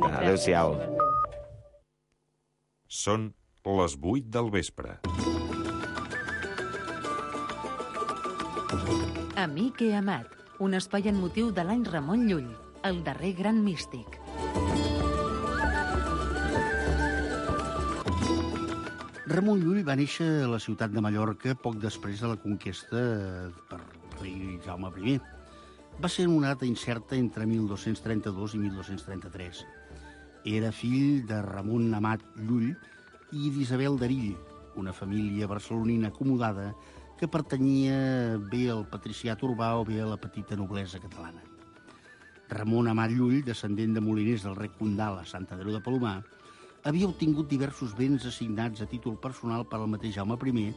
Adéu-siau. Són les 8 del vespre. Amic i amat, un espai en motiu de l'any Ramon Llull, el darrer gran místic. Ramon Llull va néixer a la ciutat de Mallorca poc després de la conquesta per rei Jaume I. Va ser en una data incerta entre 1232 i 1233. Era fill de Ramon Amat Llull i d'Isabel d'Erill, una família barcelonina acomodada que pertanyia bé al patriciat urbà o bé a la petita noblesa catalana. Ramon Amat Llull, descendent de moliners del rec Condal a Sant Andreu de Palomar, havia obtingut diversos béns assignats a títol personal per al mateix Jaume I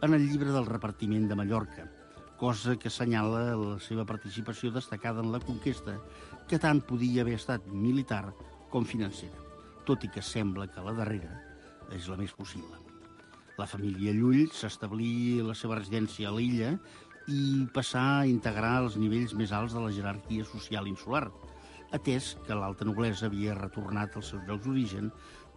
en el llibre del repartiment de Mallorca, cosa que assenyala la seva participació destacada en la conquesta, que tant podia haver estat militar com financera, tot i que sembla que la darrera és la més possible. La família Llull s'establí la seva residència a l'illa i passà a integrar els nivells més alts de la jerarquia social insular, atès que l'alta noblesa havia retornat als seus llocs d'origen,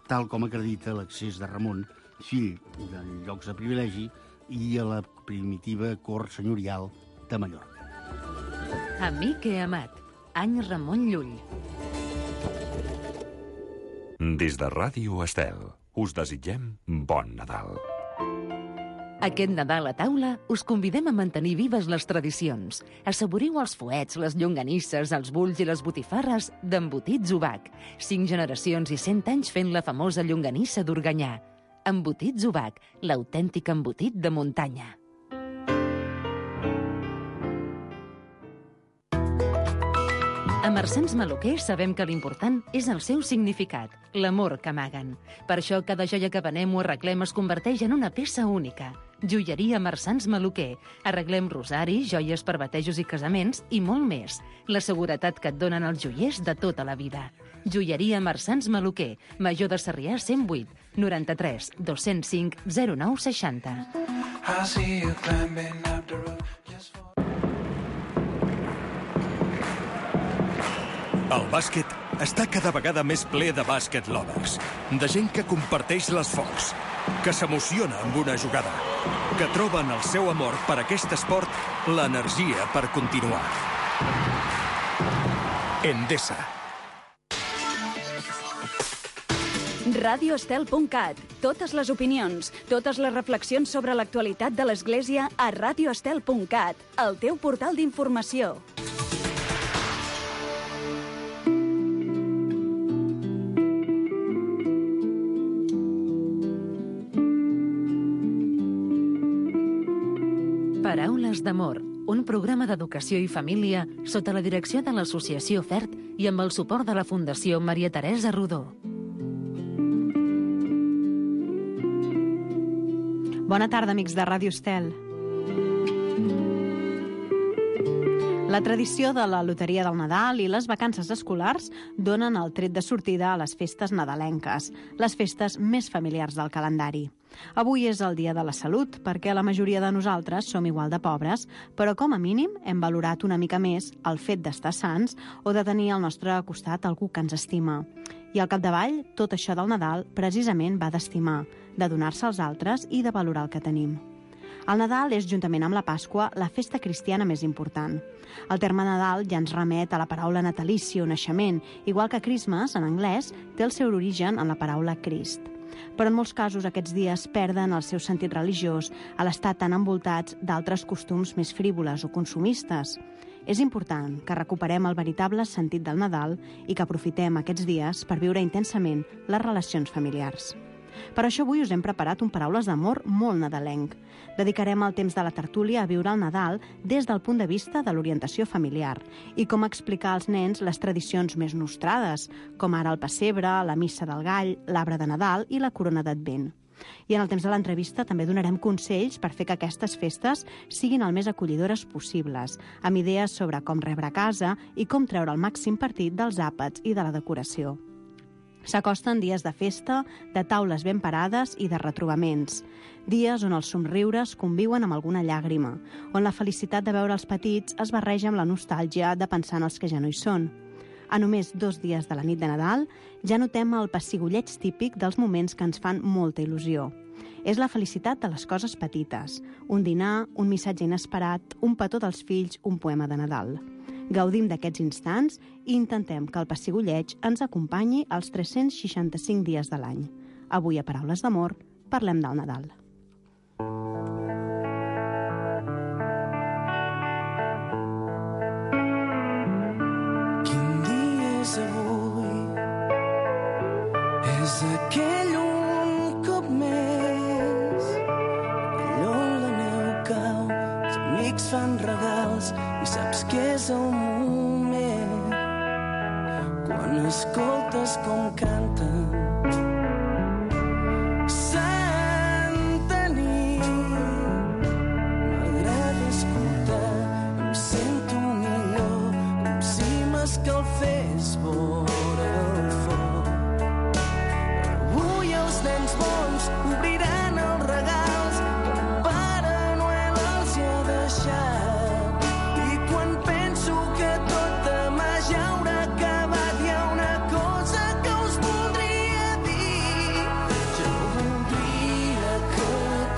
tal com acredita l'accés de Ramon, fill de llocs de privilegi, i a la primitiva cort senyorial de Mallorca. Amic i amat, any Ramon Llull. Des de Ràdio Estel, us desitgem bon Nadal. Aquest Nadal a taula us convidem a mantenir vives les tradicions. Assaboriu els fuets, les llonganisses, els bulls i les botifarres d'Embotits Ubac. 5 generacions i 100 anys fent la famosa llonganissa d'Organyà. Embotits Ubac, l'autèntic embotit de muntanya. A Marsans Maluquer sabem que l'important és el seu significat, l'amor que amaguen. Per això cada joia que venem o arreglem es converteix en una peça única. Joieria Marsans Maluquer. Arreglem rosaris, joies per batejos i casaments i molt més. La seguretat que et donen els joiers de tota la vida. Joieria Marsans Maluquer. Major de Sarrià 108 93 205 0960. El bàsquet està cada vegada més ple de bàsquet lovers, de gent que comparteix l'esforç, que s'emociona amb una jugada, que troben el seu amor per aquest esport l'energia per continuar. Endesa. radioestel.cat. Totes les opinions, totes les reflexions sobre l'actualitat de l'Església a radioestel.cat, el teu portal d'informació. Paraules d'amor, un programa d'educació i família sota la direcció de l'Associació FERT i amb el suport de la Fundació Maria Teresa Rodó. Bona tarda, amics de Ràdio Estel. La tradició de la loteria del Nadal i les vacances escolars donen el tret de sortida a les festes nadalenques, les festes més familiars del calendari. Avui és el Dia de la Salut, perquè la majoria de nosaltres som igual de pobres, però com a mínim hem valorat una mica més el fet d'estar sants o de tenir al nostre costat algú que ens estima. I al capdavall, tot això del Nadal precisament va d'estimar, de donar-se als altres i de valorar el que tenim. El Nadal és, juntament amb la Pasqua, la festa cristiana més important. El terme Nadal ja ens remet a la paraula natalici o naixement, igual que Christmas, en anglès, té el seu origen en la paraula Crist. Però en molts casos aquests dies perden el seu sentit religiós a l'estar tan envoltats d'altres costums més frívoles o consumistes. És important que recuperem el veritable sentit del Nadal i que aprofitem aquests dies per viure intensament les relacions familiars. Per això avui us hem preparat un Paraules d'amor molt nadalenc. Dedicarem el temps de la tertúlia a viure el Nadal des del punt de vista de l'orientació familiar i com explicar als nens les tradicions més nostrades, com ara el pessebre, la missa del gall, l'arbre de Nadal i la corona d'Advent. I en el temps de l'entrevista també donarem consells per fer que aquestes festes siguin el més acollidores possibles, amb idees sobre com rebre a casa i com treure el màxim partit dels àpats i de la decoració. S'acosten dies de festa, de taules ben parades i de retrobaments. Dies on els somriures conviuen amb alguna llàgrima, on la felicitat de veure els petits es barreja amb la nostàlgia de pensar en els que ja no hi són. A només 2 dies de la nit de Nadal, ja notem el pessigolleig típic dels moments que ens fan molta il·lusió. És la felicitat de les coses petites. Un dinar, un missatge inesperat, un petó dels fills, un poema de Nadal. Gaudim d'aquests instants i intentem que el pessigolleig ens acompanyi els 365 dies de l'any. Avui, a Paraules d'Amor, parlem del Nadal. Quin dia és avui? És aquell un cop més. Allò on la neu cau, els amics fan regals i saps que és el moment. Quan escoltes com canten Santa nit, m'agrada escoltar, em sento millor, com si m'escalfés vora el foc. Avui els nens bons obriran els regals que el Pare Noel els hi ha deixat. I quan penso que tot demà ja haurà acabat, hi ha una cosa que us voldria dir. Jo voldria que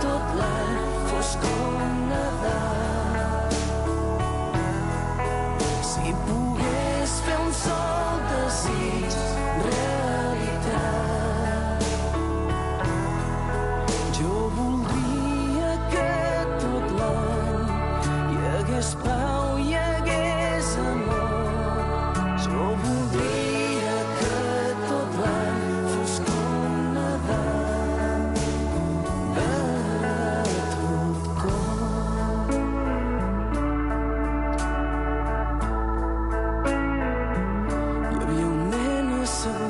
tot l'any fos com Nadal. Si pogués fer un sol desig realitat. Jo voldria que tot l'any hi hagués pau, hi hagués amor. Jo voldria que tot l'any fos com Nadal, de tot cor. Hi havia un nen assegut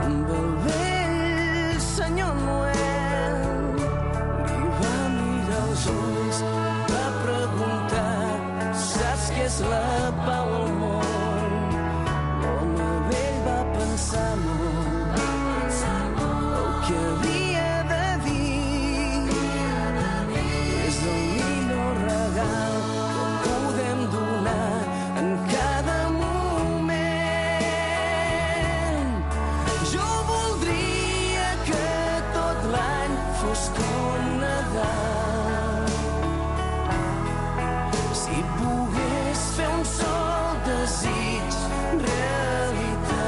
amb el vell senyor Noel. Li va mirar els ulls, va preguntar: saps què és la pau al món? L'home vell va pensar molt el que havia de dir. És el millor regal que podem donar en cada moment. Jo voldria que tot l'any fos com Nadal. Si pogués fer un sol desig realitat.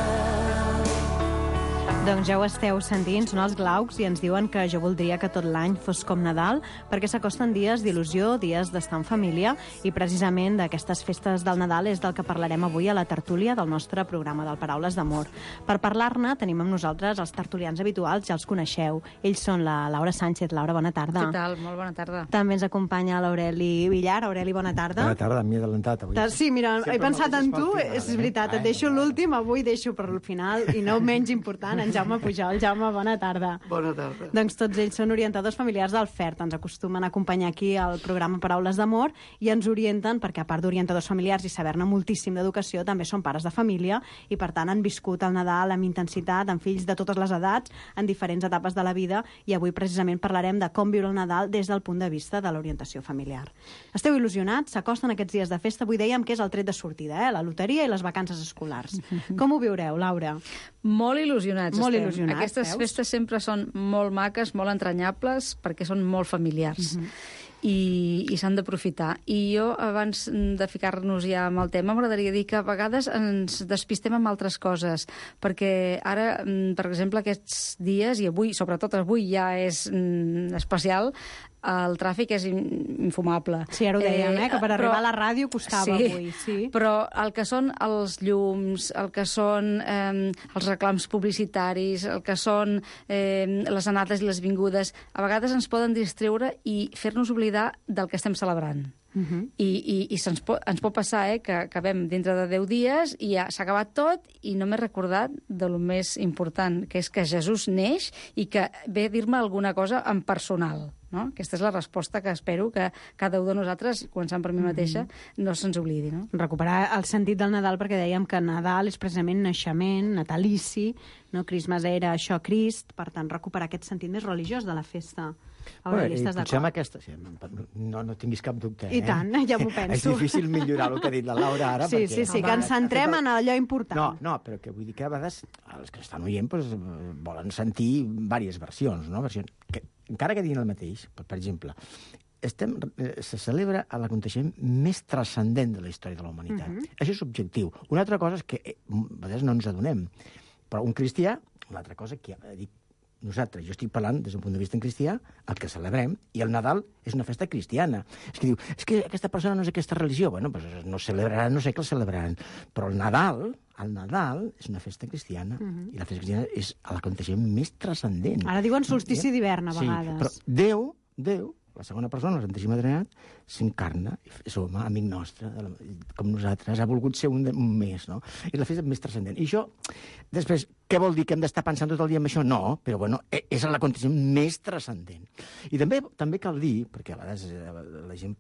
Doncs ja ho esteu sentint, són els Glaucs i ens diuen que jo voldria que tot l'any fos com Nadal, perquè s'acosten dies d'il·lusió, dies d'estar en família, i precisament d'aquestes festes del Nadal és del que parlarem avui a la tertúlia del nostre programa del Paraules d'Amor. Per parlar-ne tenim amb nosaltres els tertulians habituals, ja els coneixeu. Ells són la Laura Sánchez. Laura, bona tarda. Què tal? Molt bona tarda. També ens acompanya l'Aureli Villar. Aureli, bona tarda. Bona tarda, m'he adelantat avui. Sí, mira, he pensat en tu, final, és veritat, et deixo l'últim, avui deixo per al final, i no menys important, en Jaume Pujol. Jaume, bona tarda. Bona tarda. Doncs tots ells són orientadors familiars del FERT, ens acostumen a acompanyar aquí al programa Paraules d'Amor i ens orienten perquè, a part d'orientadors familiars i saber-ne moltíssim d'educació, també són pares de família i, per tant, han viscut el Nadal amb intensitat, amb fills de totes les edats, en diferents etapes de la vida, i avui precisament parlarem de com viure el Nadal des del punt de vista de l'orientació familiar. Esteu il·lusionats? S'acosten aquests dies de festa? Avui dèiem que és el tret de sortida, la loteria i les vacances escolars. Com ho viureu, Laura? Molt il·lusionats. Molt estem. il·lusionats, Aquestes veus? festes sempre són molt maques, molt entranyables, perquè són molt familiars. I s'han d'aprofitar. I jo, abans de ficar-nos ja amb el tema, m'agradaria dir que a vegades ens despistem amb altres coses, perquè ara, per exemple, aquests dies, i avui, sobretot avui ja és especial, el tràfic és infumable. Sí, ara ho dèiem, que per arribar a la ràdio costava sí, avui. Sí, però el que són els llums, el que són els reclams publicitaris, el que són les anades i les vingudes, a vegades ens poden distreure i fer-nos oblidar del que estem celebrant. I ens pot passar que acabem dintre de 10 dies i ja s'ha acabat tot i no m'he recordat de lo més important, que és que Jesús neix i que ve a dir-me alguna cosa en personal. No? Aquesta és la resposta que espero que cada un de nosaltres, començant per mi mateixa, no se'ns oblidi. No? Recuperar el sentit del Nadal, perquè dèiem que Nadal és precisament naixement, natalici, no? Christmas era això, Crist, per tant, recuperar aquest sentit més religiós de la festa. Aureli, estàs Potser amb d'acord? aquesta... Sí, no tinguis cap dubte. I tant, ja m'ho penso. És difícil millorar el que ha dit la Laura ara. Sí, perquè... sí, que ens centrem en allò important. No, però que vull dir que a vegades els que estan oient volen sentir diverses versions, no? Versions que, encara que diguin el mateix, per exemple, se celebra l'aconteixement més transcendent de la història de la humanitat. Això és objectiu. Una altra cosa és que a vegades no ens adonem. Però un cristià, una altra cosa que dic nosaltres, jo estic parlant des d'un punt de vista en cristià, el que celebrem, i el Nadal és una festa cristiana. És que diu, és que aquesta persona no és aquesta religió. Bueno, doncs no celebraran, no sé què el celebraran. Però el Nadal és una festa cristiana, i la festa cristiana és l'aconteixement més transcendent. Ara diuen solstici d'hivern, a vegades. Sí, però Déu, la segona persona, la Santíssima Trinitat, s'encarna, és home, amic nostre, com nosaltres, ha volgut ser un més, no? És la festa més transcendent. I això, després, què vol dir? Que hem d'estar pensant tot el dia en això? No, però bueno, és l'aconteixement més transcendent. I també cal dir, perquè a vegades la gent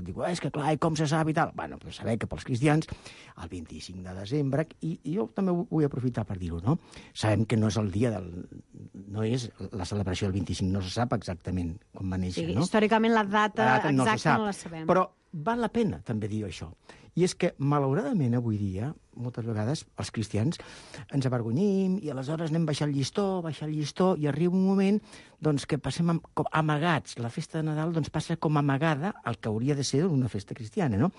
diu, és que clar, com se sap i tal? Bueno, però saber que pels cristians, el 25 de desembre, i jo també vull aprofitar per dir-ho, no? Sabem que no és el dia no és la celebració del 25, no se sap exactament com va néixer, no? Històricament la data exacta no la sabem. Però val la pena també dir això. I és que, malauradament, avui dia, moltes vegades, els cristians ens avergonyim i aleshores anem baixant el llistó, i arriba un moment doncs, que passem com amagats. La festa de Nadal doncs, passa com amagada el que hauria de ser una festa cristiana, no?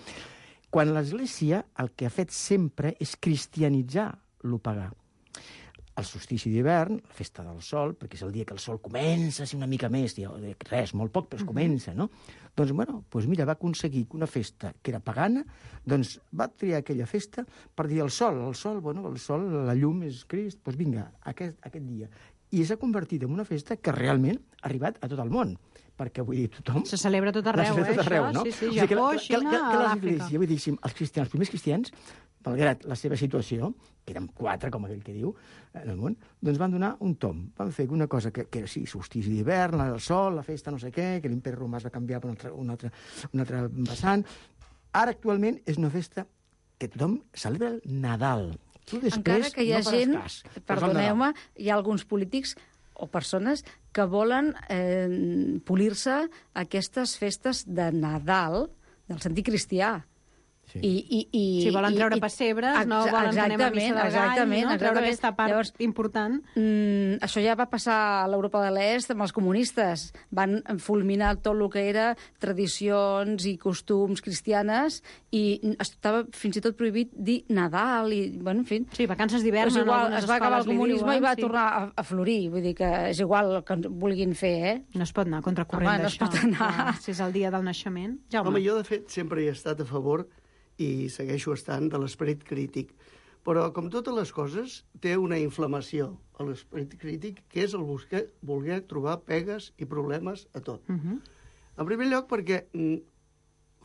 Quan l'Església el que ha fet sempre és cristianitzar lo pagà. El solstici d'hivern, la festa del sol, perquè és el dia que el sol comença a ser una mica més, res, molt poc, però es comença, no? Doncs, bueno, mira, va aconseguir que una festa que era pagana, doncs va triar aquella festa per dir el sol, la llum és Crist, doncs vinga, aquest dia. I s'ha convertit en una festa que realment ha arribat a tot el món, perquè vull dir, tothom... Se celebra tot arreu, això? No? Sí, Japó, Xina, l'Àfrica. Vull dir, els primers cristians, malgrat la seva situació, que eren 4, com aquell que diu, en el món, doncs van donar un tom. Van fer una cosa que era, sí, solstici d'hivern, el sol, la festa no sé què, que l'imperi romà es va canviar per un altre vessant. Ara, actualment, és una festa que tothom celebra el Nadal. Encara que hi ha gent, perdoneu-me, hi ha alguns polítics o persones que volen polir-se aquestes festes de Nadal del sentit cristià. Si volen treure pessebres, no volen que anem a missa del gall, no? Treure aquesta part important. Això ja va passar a l'Europa de l'Est amb els comunistes. Van fulminar tot el que era tradicions i costums cristianes i estava fins i tot prohibit dir Nadal i, bueno, en fi... Sí, vacances d'hivern. És igual, es va acabar el comunisme i va tornar a florir. Vull dir que és igual el que vulguin fer, eh? No es pot anar contracorrent d'això. No es pot anar. Si és el dia del naixement. Home, jo, de fet, sempre he estat a favor i segueixo estant de l'esperit crític. Però, com totes les coses, té una inflamació a l'esperit crític, que és el voler trobar pegues i problemes a tot. En primer lloc, perquè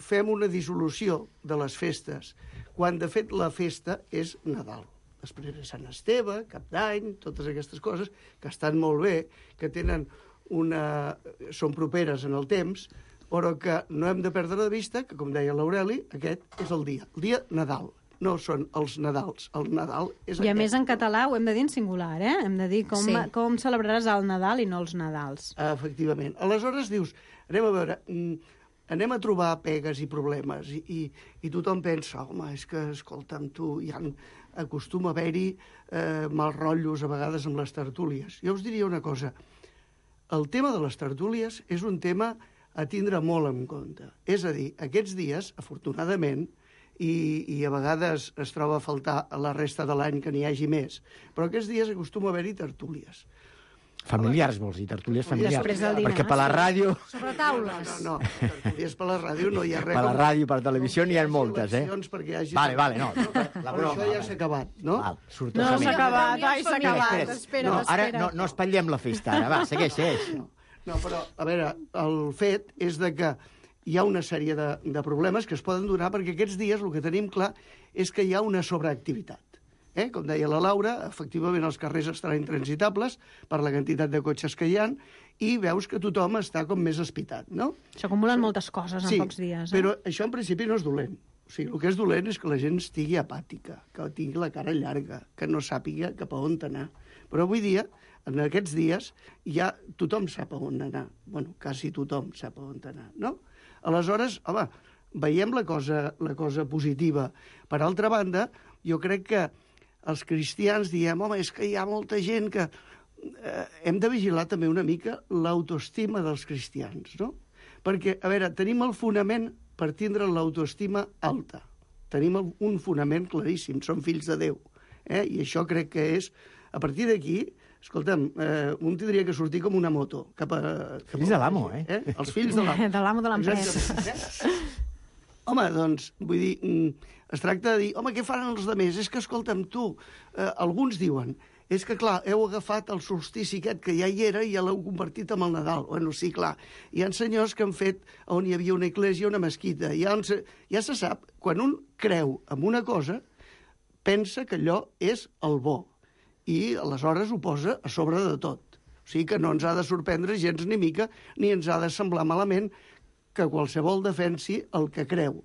fem una dissolució de les festes, quan, de fet, la festa és Nadal. Després de Sant Esteve, Cap d'Any, totes aquestes coses, que estan molt bé, que són properes en el temps, però que no hem de perdre de vista que, com deia l'Aureli, aquest és el dia Nadal. No són els Nadals, el Nadal és aquest. I a més en català ho hem de dir en singular, eh? Hem de dir com celebraràs el Nadal i no els Nadals. Efectivament. Aleshores dius, anem a trobar pegues i problemes, i tothom pensa, home, és que, escolta'm, tu, acostuma a haver-hi mals rotllos a vegades amb les tertúlies. Jo us diria una cosa, el tema de les tertúlies és un tema a tindre molt en compte. És a dir, aquests dies, afortunadament, i a vegades es troba a faltar a la resta de l'any que n'hi hagi més, però aquests dies acostuma a haver-hi tertúlies. Familiars, vols dir, tertúlies familiars. Després del dinar. Perquè per la ràdio... Sobre taules. No, tertúlies per la ràdio no hi ha res. Per la ràdio, per la televisió n'hi ha moltes, eh? Vale, no. Però això ja s'ha acabat, no? No s'ha acabat, s'ha acabat. Espera. Ara no espatllem la festa, ara, va, segueix. No, però, a veure, el fet és de que hi ha una sèrie de problemes que es poden donar perquè aquests dies el que tenim clar és que hi ha una sobreactivitat. Com deia la Laura, efectivament els carrers estaran intransitables per la quantitat de cotxes que hi ha i veus que tothom està com més espitat, no? S'acumulen moltes coses en pocs dies. Però això en principi no és dolent. O O sigui, el que és dolent és que la gent estigui apàtica, que tingui la cara llarga, que no sàpiga cap a on anar. Però avui dia, en aquests dies, ja tothom sap a on anar. Bueno, quasi tothom sap a on anar, no? Aleshores, home, veiem la cosa positiva. Per altra banda, jo crec que els cristians diem, home, és que hi ha molta gent que... hem de vigilar també una mica l'autoestima dels cristians, no? Perquè, a veure, tenim el fonament per tindre l'autoestima alta. Tenim un fonament claríssim, som fills de Déu. I això crec que és... A partir d'aquí, escolta'm, un tindria que sortir com una moto. Fills de l'amo, Els fills de l'amo. De l'amo de l'empresa. Home, doncs, vull dir, es tracta de dir, home, què faran els altres? És que, escolta'm, tu, alguns diuen, és que, clar, heu agafat el solstici aquest que ja hi era i ja l'heu convertit en el Nadal. Bueno, sí, clar. Hi ha senyors que han fet on hi havia una església, una mesquita. Ja se sap, quan un creu en una cosa, pensa que allò és el bo. I aleshores ho posa a sobre de tot. O sigui que no ens ha de sorprendre gens ni mica, ni ens ha de semblar malament que qualsevol defensi el que creu.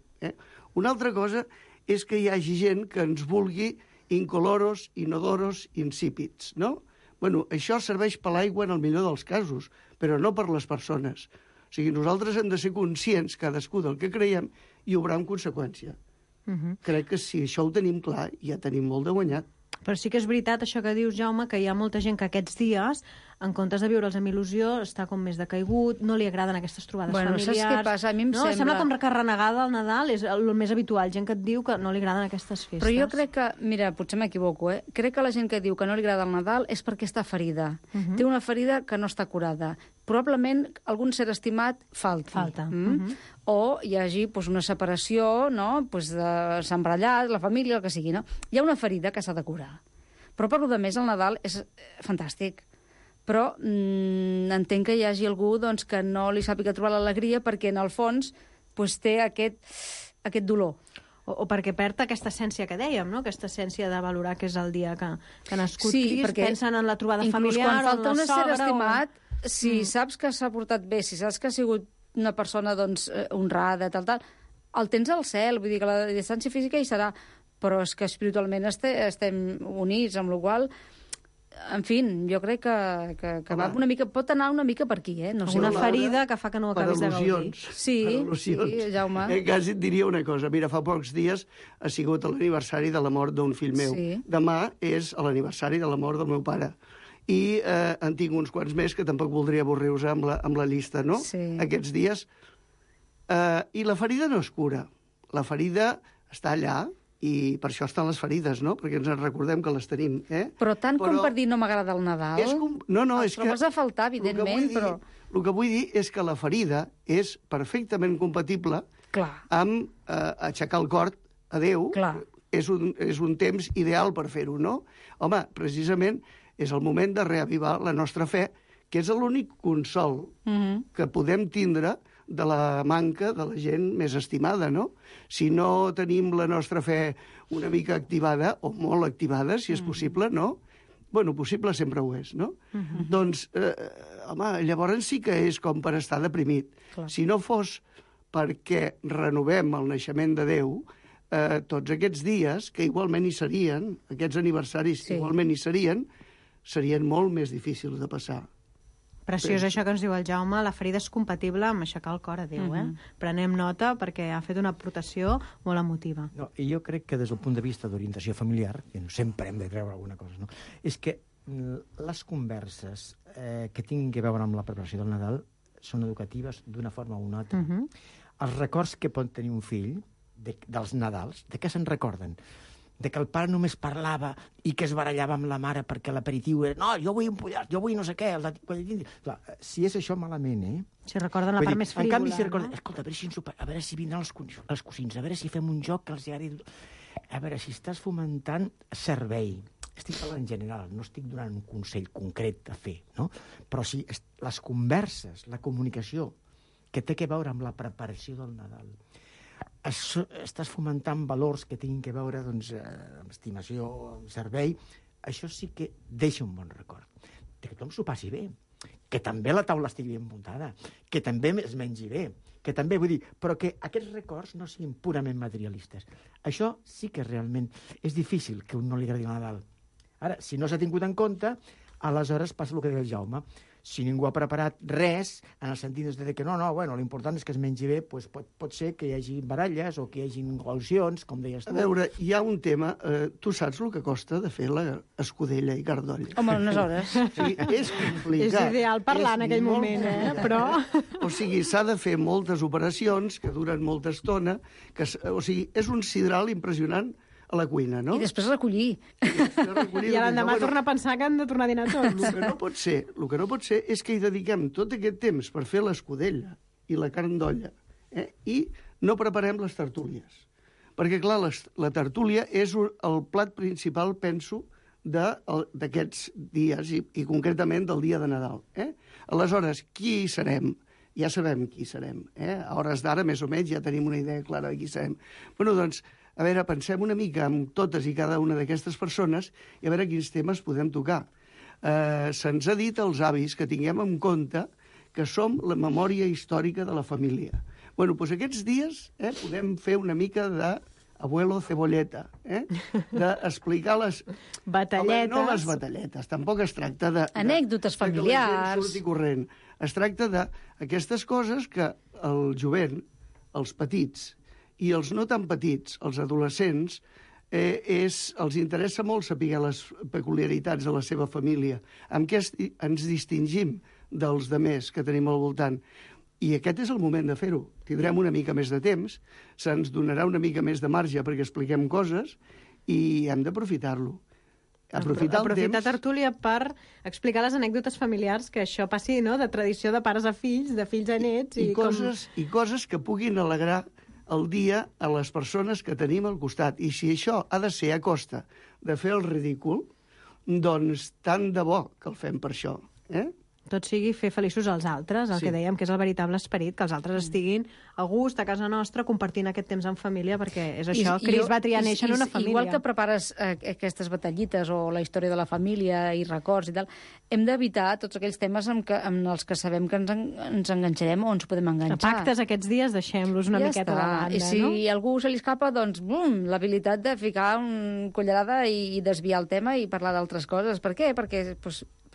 Una altra cosa és que hi hagi gent que ens vulgui incoloros, inodoros, insípids, no? Bueno, això serveix per l'aigua en el millor dels casos, però no per les persones. O sigui, nosaltres hem de ser conscients, cadascú del que creiem, i obrar en conseqüència. Crec que si això ho tenim clar, ja tenim molt de guanyat. Però sí que és veritat això que dius, Jaume, que hi ha molta gent que aquests dies, en comptes de viure'ls amb il·lusió, està com més decaigut, no li agraden aquestes trobades familiars. Saps què passa? A mi em sembla... Sembla com que renegada al Nadal, és el més habitual, gent que et diu que no li agraden aquestes festes. Però jo crec que, mira, potser m'equivoco, crec que la gent que diu que no li agrada el Nadal és perquè està ferida. Té una ferida que no està curada. Probablement algun ser estimat falta. O hi hagi una separació, no? S'ha embarallat, la família, el que sigui, no? Hi ha una ferida que s'ha de curar. Però per lo més, el Nadal és fantàstic. Però entenc que hi hagi algú que no li sàpiga trobar l'alegria perquè, en el fons, té aquest dolor. O perquè perd aquesta essència que dèiem, no? Aquesta essència de valorar que és el dia que ha nascut Crist, perquè pensen en la trobada familiar, quan falta un ésser estimat, si saps que s'ha portat bé, si saps que ha sigut una persona honrada, tal, el tens al cel, vull dir que la distància física hi serà, però és que espiritualment estem units, amb la qual cosa, en fi, jo crec que va una mica, pot anar una mica per aquí, no sé. Una ferida que fa que no acabis de gaudir. Sí, Jaume. Quasi et diria una cosa. Mira, fa pocs dies ha sigut l'aniversari de la mort d'un fill meu. Demà és l'aniversari de la mort del meu pare. I en tinc uns quants més que tampoc voldria avorrir-vos amb la llista, no? Aquests dies. I la ferida no es cura. La ferida està allà, i per això estan les ferides, no? Perquè ens en recordem que les tenim, Però tant com per dir no m'agrada el Nadal... No, és que... trobes a faltar, evidentment, però... El que vull dir és que la ferida és perfectament compatible amb aixecar el cor a Déu. És un temps ideal per fer-ho, no? Home, precisament és el moment de reavivar la nostra fe, que és l'únic consol que podem tindre de la manca de la gent més estimada, no? Si no tenim la nostra fe una mica activada, o molt activada, si és possible, no? Bueno, possible sempre ho és, no? Doncs, home, llavors sí que és com per estar deprimit. Si no fos perquè renovem el naixement de Déu, tots aquests dies, que igualment hi serien, aquests aniversaris igualment hi serien molt més difícils de passar. Preciós això que ens diu el Jaume, la ferida és compatible amb aixecar el cor a Déu, Prenem nota perquè ha fet una aportació molt emotiva. No, i jo crec que des del punt de vista d'orientació familiar, que sempre hem de treure alguna cosa, no? És que les converses que tinguin a veure amb la preparació del Nadal són educatives d'una forma o una altra. Els records que pot tenir un fill dels Nadals, de què se'n recorden? De que el pare només parlava i que es barallava amb la mare perquè l'aperitiu era no, jo vull un pollastre, jo vull no sé què. Clar, si és això malament, Si recorden la part més frívola. En canvi, si recorden, escolta, a veure si vindran els cosins, a veure si fem un joc que els agradi. A veure, si estàs fomentant servei. Estic parlant en general, no estic donant un consell concret a fer, no? Però si les converses, la comunicació que té a veure amb la preparació del Nadal, estàs fomentant valors que tinguin a veure amb estimació, amb servei, això sí que deixa un bon record. Que tothom s'ho passi bé. que també la taula estigui ben muntada, que també es mengi bé, que també, vull dir, però que aquests records no siguin purament materialistes. Això sí que realment és difícil que un no li agradi el Nadal. Ara, si no s'ha tingut en compte, aleshores passa el que deia el Jaume. Si ningú ha preparat res, en el sentit de que bueno, l'important és que es mengi bé, doncs pot ser que hi hagi baralles o que hi hagi al·lusions, com deies tu. A veure, hi ha un tema... tu saps el que costa de fer la escudella i cardoll? Home, unes hores. Sí, és complicat. És ideal parlar en aquell moment, però... O sigui, s'ha de fer moltes operacions que duren molta estona. O sigui, és un sidral impressionant a la cuina, no? I després recollir. I l'endemà tornar a pensar que han de tornar a dinar tots. El que no pot ser és que hi dediquem tot aquest temps per fer l'escudella i la carn d'olla i no preparem les tertúlies. Perquè, clar, la tertúlia és el plat principal, penso, d'aquests dies i concretament del dia de Nadal. Aleshores, qui hi serem? Ja sabem qui serem. A hores d'ara, més o menys, ja tenim una idea clara de qui serem. Bueno, doncs, a veure, pensem una mica amb totes i cada una d'aquestes persones i a veure quins temes podem tocar. Se'ns ha dit als avis que tinguem en compte que som la memòria històrica de la família. Bueno, doncs aquests dies podem fer una mica d'abuelo cebolleta, d'explicar les... Batalletes. Home, no les batalletes, tampoc es tracta de... Anècdotes familiars. Que la gent surti corrent. Es tracta d'aquestes coses que el jovent, els petits, i els no tan petits, els adolescents, els interessa molt saber les peculiaritats de la seva família, amb què ens distingim dels demés que tenim al voltant. I aquest és el moment de fer-ho. Tindrem una mica més de temps, se'ns donarà una mica més de marge perquè expliquem coses i hem d'aprofitar-lo. Aprofitar tertúlia per explicar les anècdotes familiars, que això passi, no?, de tradició de pares a fills, de fills a nets... I coses que puguin alegrar el dia a les persones que tenim al costat. I si això ha de ser a costa de fer el ridícul, doncs tant de bo que el fem per això. Tot sigui fer feliços als altres, el que dèiem que és el veritable esperit, que els altres estiguin a gust a casa nostra compartint aquest temps en família, perquè és això, Cris va triar néixer en una família. Igual que prepares aquestes batallites o la història de la família i records i tal, hem d'evitar tots aquells temes amb els que sabem que ens enganxarem o ens podem enganxar. Pactes aquests dies deixem-los una miqueta de banda, no? I si a algú se li escapa, doncs, l'habilitat de ficar una cullerada i desviar el tema i parlar d'altres coses. Per què? Perquè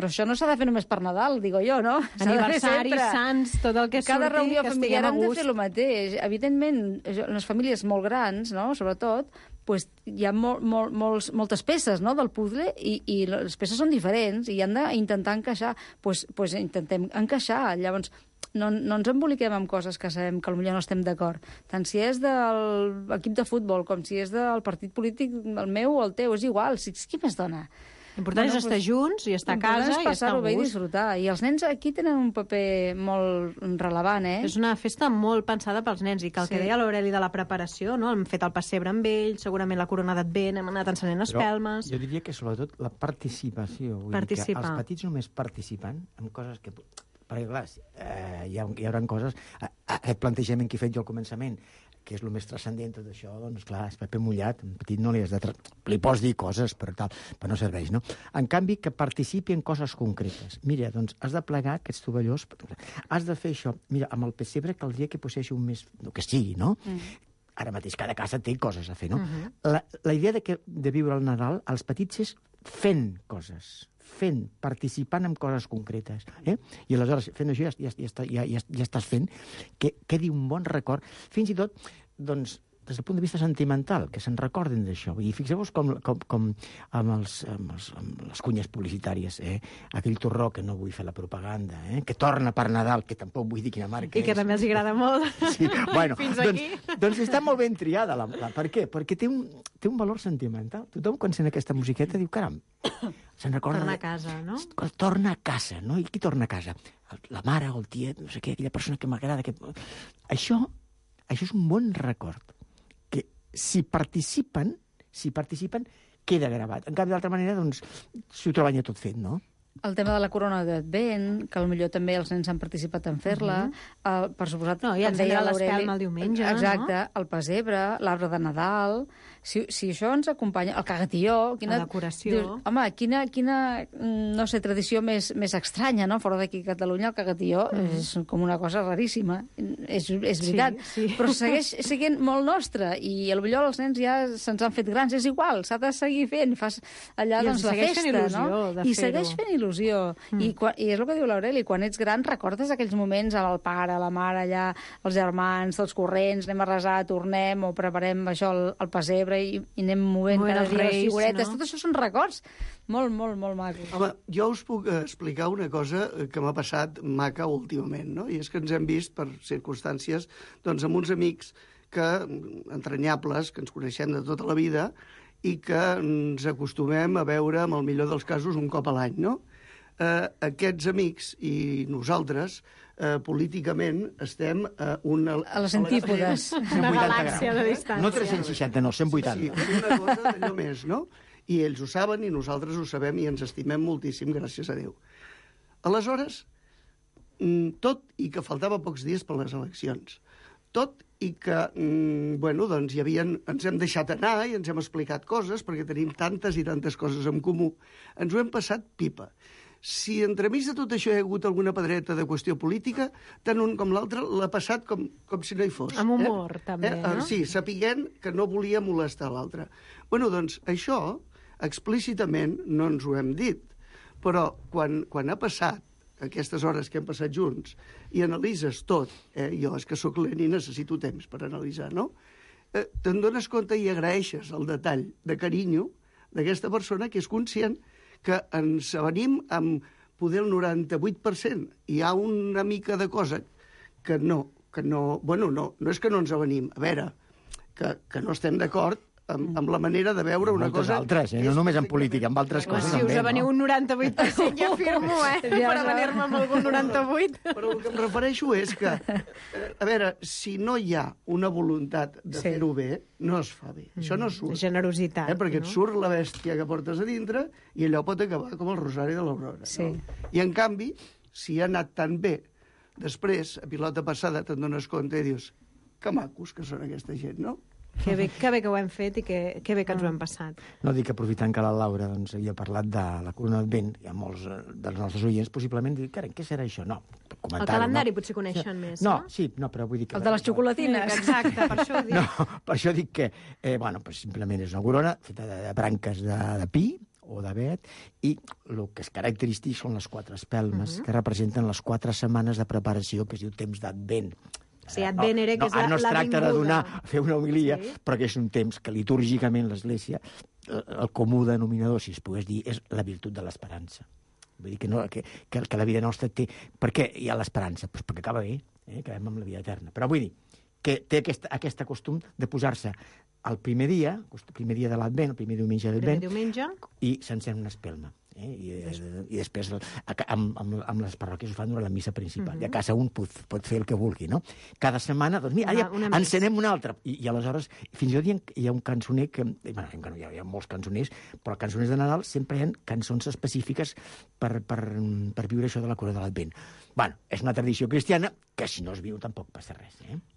però això no s'ha de fer només per Nadal, digo jo, no? Aniversaris, sants, tot el que surti, cada reunió familiar hem de fer el mateix. Evidentment, en les famílies molt grans, no?, sobretot, pues, hi ha moltes peces, no?, del puzzle i les peces són diferents i han d'intentar encaixar. Pues intentem encaixar. Llavors, no ens emboliquem amb coses que sabem que potser no estem d'acord. Tant si és de l'equip de futbol com si és del partit polític, el meu o el teu, és igual. Qui més dona? L'important és estar junts i estar a casa i estar a gust. I disfrutar. I els nens aquí tenen un paper molt rellevant, És una festa molt pensada pels nens i que el que deia l'Aureli de la preparació, no? Hem fet el pessebre amb ells, segurament la corona d'Advent, hem anat encenent espelmes... Jo diria que sobretot la participació. Vull dir que els petits només participen en coses que... Perquè, clar, hi haurà coses... Aquest plantejament que he fet jo al començament, que és el més transcendent tot això, doncs clar, és paper mullat, un petit no li has de... Li pots dir coses, però no serveix, no? En canvi, que participi en coses concretes. Mira, doncs, has de plegar aquests tovallós, has de fer això. Mira, amb el pessebre caldria que poseixi un més... El que sigui, no? Ara mateix cada casa té coses a fer, no? La idea de viure el Nadal als petits és fent coses, participant en coses concretes. I aleshores, fent això, ja estàs fent que quedi un bon record. Fins i tot, doncs, des del punt de vista sentimental, que se'n recordin d'això. I fixeu-vos com amb les cunyes publicitàries, aquell torró, que no vull fer la propaganda, que torna per Nadal, que tampoc vull dir quina marca és. I que també els agrada molt. Sí, bueno, fins aquí. Doncs està molt ben triada. Per què? Perquè té un valor sentimental. Tothom, quan sent aquesta musiqueta, diu, caram, se'n recorda... Torna a casa, no? Torna a casa, no? I qui torna a casa? La mare o el tiet, no sé què, aquella persona que m'agrada. Això és un bon record. Si participen, queda gravat. En canvi, d'altra manera, doncs, s'ho troben ja tot fet, no? El tema de la corona d'Advent, que potser també els nens han participat en fer-la, per suposat... No, ja ens deia l'espelma el diumenge, exacte, el pessebre, l'arbre de Nadal... si això ens acompanya... El cagatió... La decoració. Dius, home, quina no sé, tradició més estranya, no? Fora d'aquí a Catalunya el cagatió és com una cosa raríssima. És veritat. Sí. Però segueix sent molt nostre i potser els nens ja se'ns han fet grans. És igual, s'ha de seguir fent. Fas allà doncs, la festa, no? I segueix fent il·lusió. I és el que diu l'Aureli, quan ets gran recordes aquells moments amb el pare, la mare, allà, els germans, tots corrents, anem a resar, tornem, o preparem això, el pessebre, i anem movent cada dia les figuretes. No? Tot això són records molt, molt, molt macos. Home, jo us puc explicar una cosa que m'ha passat maca últimament, no? I és que ens hem vist per circumstàncies doncs, amb uns amics entranyables, que ens coneixem de tota la vida i que ens acostumem a veure, amb el millor dels casos, un cop a l'any, no? Aquests amics i nosaltres políticament estem a les antípodes. Una galàxia de distància. No 360, no, 180. Sí, una cosa d'allò més, no? I ells ho saben i nosaltres ho sabem i ens estimem moltíssim, gràcies a Déu. Aleshores, tot i que faltava pocs dies per les eleccions, tot i que, doncs ens hem deixat anar i ens hem explicat coses, perquè tenim tantes i tantes coses en comú, ens ho hem passat pipa. Si entremig de tot això hi ha hagut alguna pedreta de qüestió política, tant un com l'altre l'ha passat com si no hi fos. Amb humor, també, no? Sí, sapiguent que no volia molestar l'altre. Bueno, doncs això, explícitament, no ens ho hem dit, però quan ha passat aquestes hores que hem passat junts i analitzes tot, jo és que sóc lent i necessito temps per analitzar, no? Te'n dones compte i agraeixes el detall de carinyo d'aquesta persona que és conscient que ens avenim amb poder el 98%. Hi ha una mica de cosa que no és que no ens avenim. A veure, que no estem d'acord amb la manera de veure una cosa... altres, no només en política, amb altres coses també. Si us aveniu un 98%, ja firmo, per avenir-me amb algun 98%. Però el que em refereixo és que, a veure, si no hi ha una voluntat de fer-ho bé, no es fa bé. Això no surt. Generositat. Perquè et surt la bèstia que portes a dintre i allò pot acabar com el rosari de l'Aurora. Sí. No? I, en canvi, si ha anat tan bé, després, a pilota passada, te'n dones compte i dius que macos que són aquesta gent, no? Que bé que ho hem fet i que bé que ens ho hem passat. No dic, aprofitant que la Laura havia parlat de la Corona d'Advent, hi ha molts dels nostres oients possiblement diuen, carai, què serà això? No, el calendari potser coneixen més, no? No, però vull dir que... El de les xocolatines. Exacte, per això ho dic. No, per això dic que, simplement és una corona feta de branques de pi o d'avet, i el que és característic són les 4 espelmes, que representen les 4 setmanes de preparació, que es diu temps d'Advent. Sí, Advent era que és la vinguda. No es tracta de fer una homilia, però que és un temps que litúrgicament l'Església, el comú denominador, si es pogués dir, és la virtut de l'esperança. Vull dir que la vida nostra té... Per què hi ha l'esperança? Pues perquè acaba bé, acabem amb la vida eterna. Però vull dir que té aquest costum de posar-se el primer dia de l'Advent, el primer diumenge d'Advent, i s'encén una espelma. I després amb les parròquies ho fan durant la missa principal. I a casa un pot fer el que vulgui, no? Cada setmana, doncs mira, encenem una altra. I aleshores, fins i tot hi ha un cançoner que... hi ha molts cançoners, però cançoners de Nadal sempre hi ha cançons específiques per viure això de la cura de l'Advent. És una tradició cristiana que si no es viu tampoc passa res.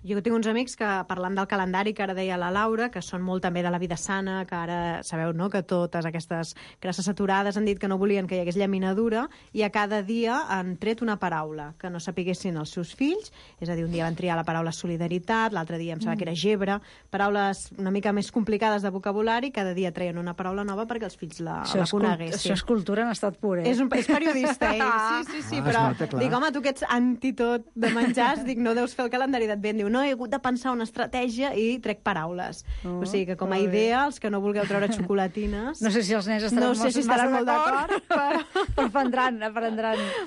Jo tinc uns amics que, parlant del calendari que ara deia la Laura, que són molt també de la vida sana, que ara sabeu, no?, que totes aquestes grasses saturades han dit que no volien que hi hagués llaminadura, i a cada dia han tret una paraula que no sapiguessin els seus fills, és a dir, un dia van triar la paraula solidaritat, l'altre dia em sembla que era gebre, paraules una mica més complicades de vocabulari, cada dia treien una paraula nova perquè els fills la coneguessin. Això és cultura en estat pur, És periodista, sí, però dic, home, tu que ets anti-tot de menjars, dic, no deus fer el calendari d'Advent. Diu, no, he hagut de pensar una estratègia i trec paraules. O sigui que com a idea, els que no vulgueu treure xocolatines... No sé si els nens estaran molt d'acord, però aprendran.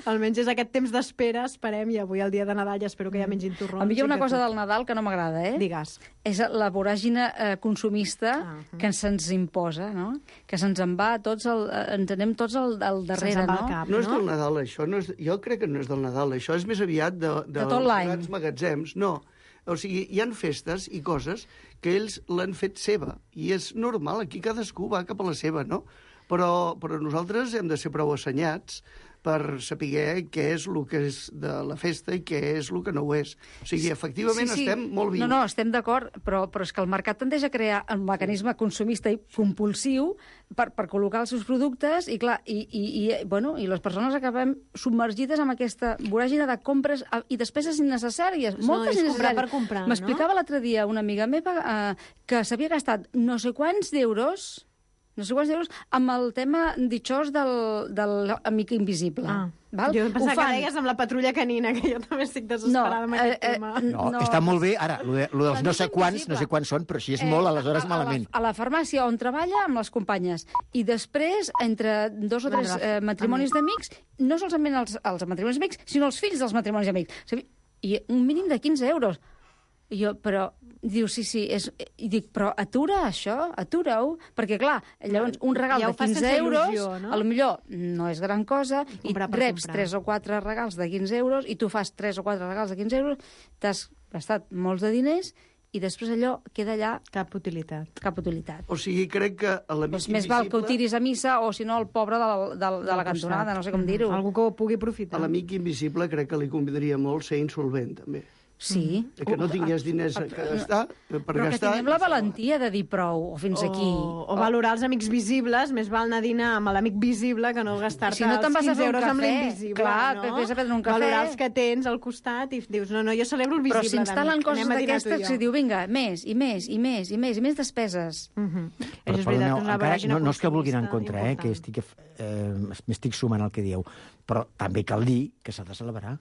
Almenys és aquest temps d'espera, esperem, i avui el dia de Nadal ja espero que ja mengin torrons. A mi hi ha una cosa del Nadal que no m'agrada, Digues. És la voràgina consumista que se'ns imposa, no? Que se'ns en va tots, ens anem tots al darrere, no? No és del Nadal, això. Jo crec que no és del Nadal, això és més aviat dels grans magatzems. No, o sigui, hi han festes i coses que ells l'han fet seva, i és normal, aquí cadascú va cap a la seva, no? Però nosaltres hem de ser prou assenyats per saber què és el que és de la festa i què és el que no ho és. O sigui, efectivament, estem molt vius. No, estem d'acord, però és que el mercat tendeix a crear un mecanisme consumista i compulsiu per col·locar els seus productes i, clar, i les persones acabem submergides en aquesta voràgine de compres i despeses innecessàries, moltes és comprar innecessàries. per comprar, no? M'explicava l'altre dia una amiga meva que s'havia gastat no sé quants d'euros amb el tema ditxós de l'amic invisible. Val? Jo pensava que deies amb la patrulla canina, que jo també estic desesperada amb aquest tema. No, està molt bé. Ara, lo dels no sé quants són, però si és molt, aleshores malament. A la farmàcia on treballa amb les companyes. I després, entre 2 o 3 matrimonis d'amics, no solament els matrimonis d'amics, sinó els fills dels matrimonis d'amics. I un mínim de 15 euros. I jo, però... Diu, sí, i dic, però atura això, atura-ho, perquè, clar, llavors un regal de 15 euros, a lo millor no és gran cosa, i reps 3 o 4 regals de 15 euros, i tu fas 3 o 4 regals de 15 euros, t'has gastat molts de diners, i després allò queda allà... Cap utilitat. O sigui, crec que a l'amic invisible... Més val que ho tiris a missa, o si no, el pobre de la cantonada, no sé com dir-ho. Algú que ho pugui aprofitar. A l'amic invisible crec que li convindria molt ser insolvent, també. Sí. Que no tingués diners per gastar. Però que tinguem la valentia de dir prou, o fins aquí. O valorar els amics visibles, més val anar a dinar amb l'amic visible que no gastar-te els 15 euros amb l'invisible. Clar, que vés a prendre un cafè. Valorar els que tens al costat i dius, no, jo celebro el visible. Però s'instal·len coses d'aquestes que diu, vinga, més, i més despeses. És veritat, no és que vulguin en contra, que m'estic sumant al que dieu, però també cal dir que s'ha de celebrar.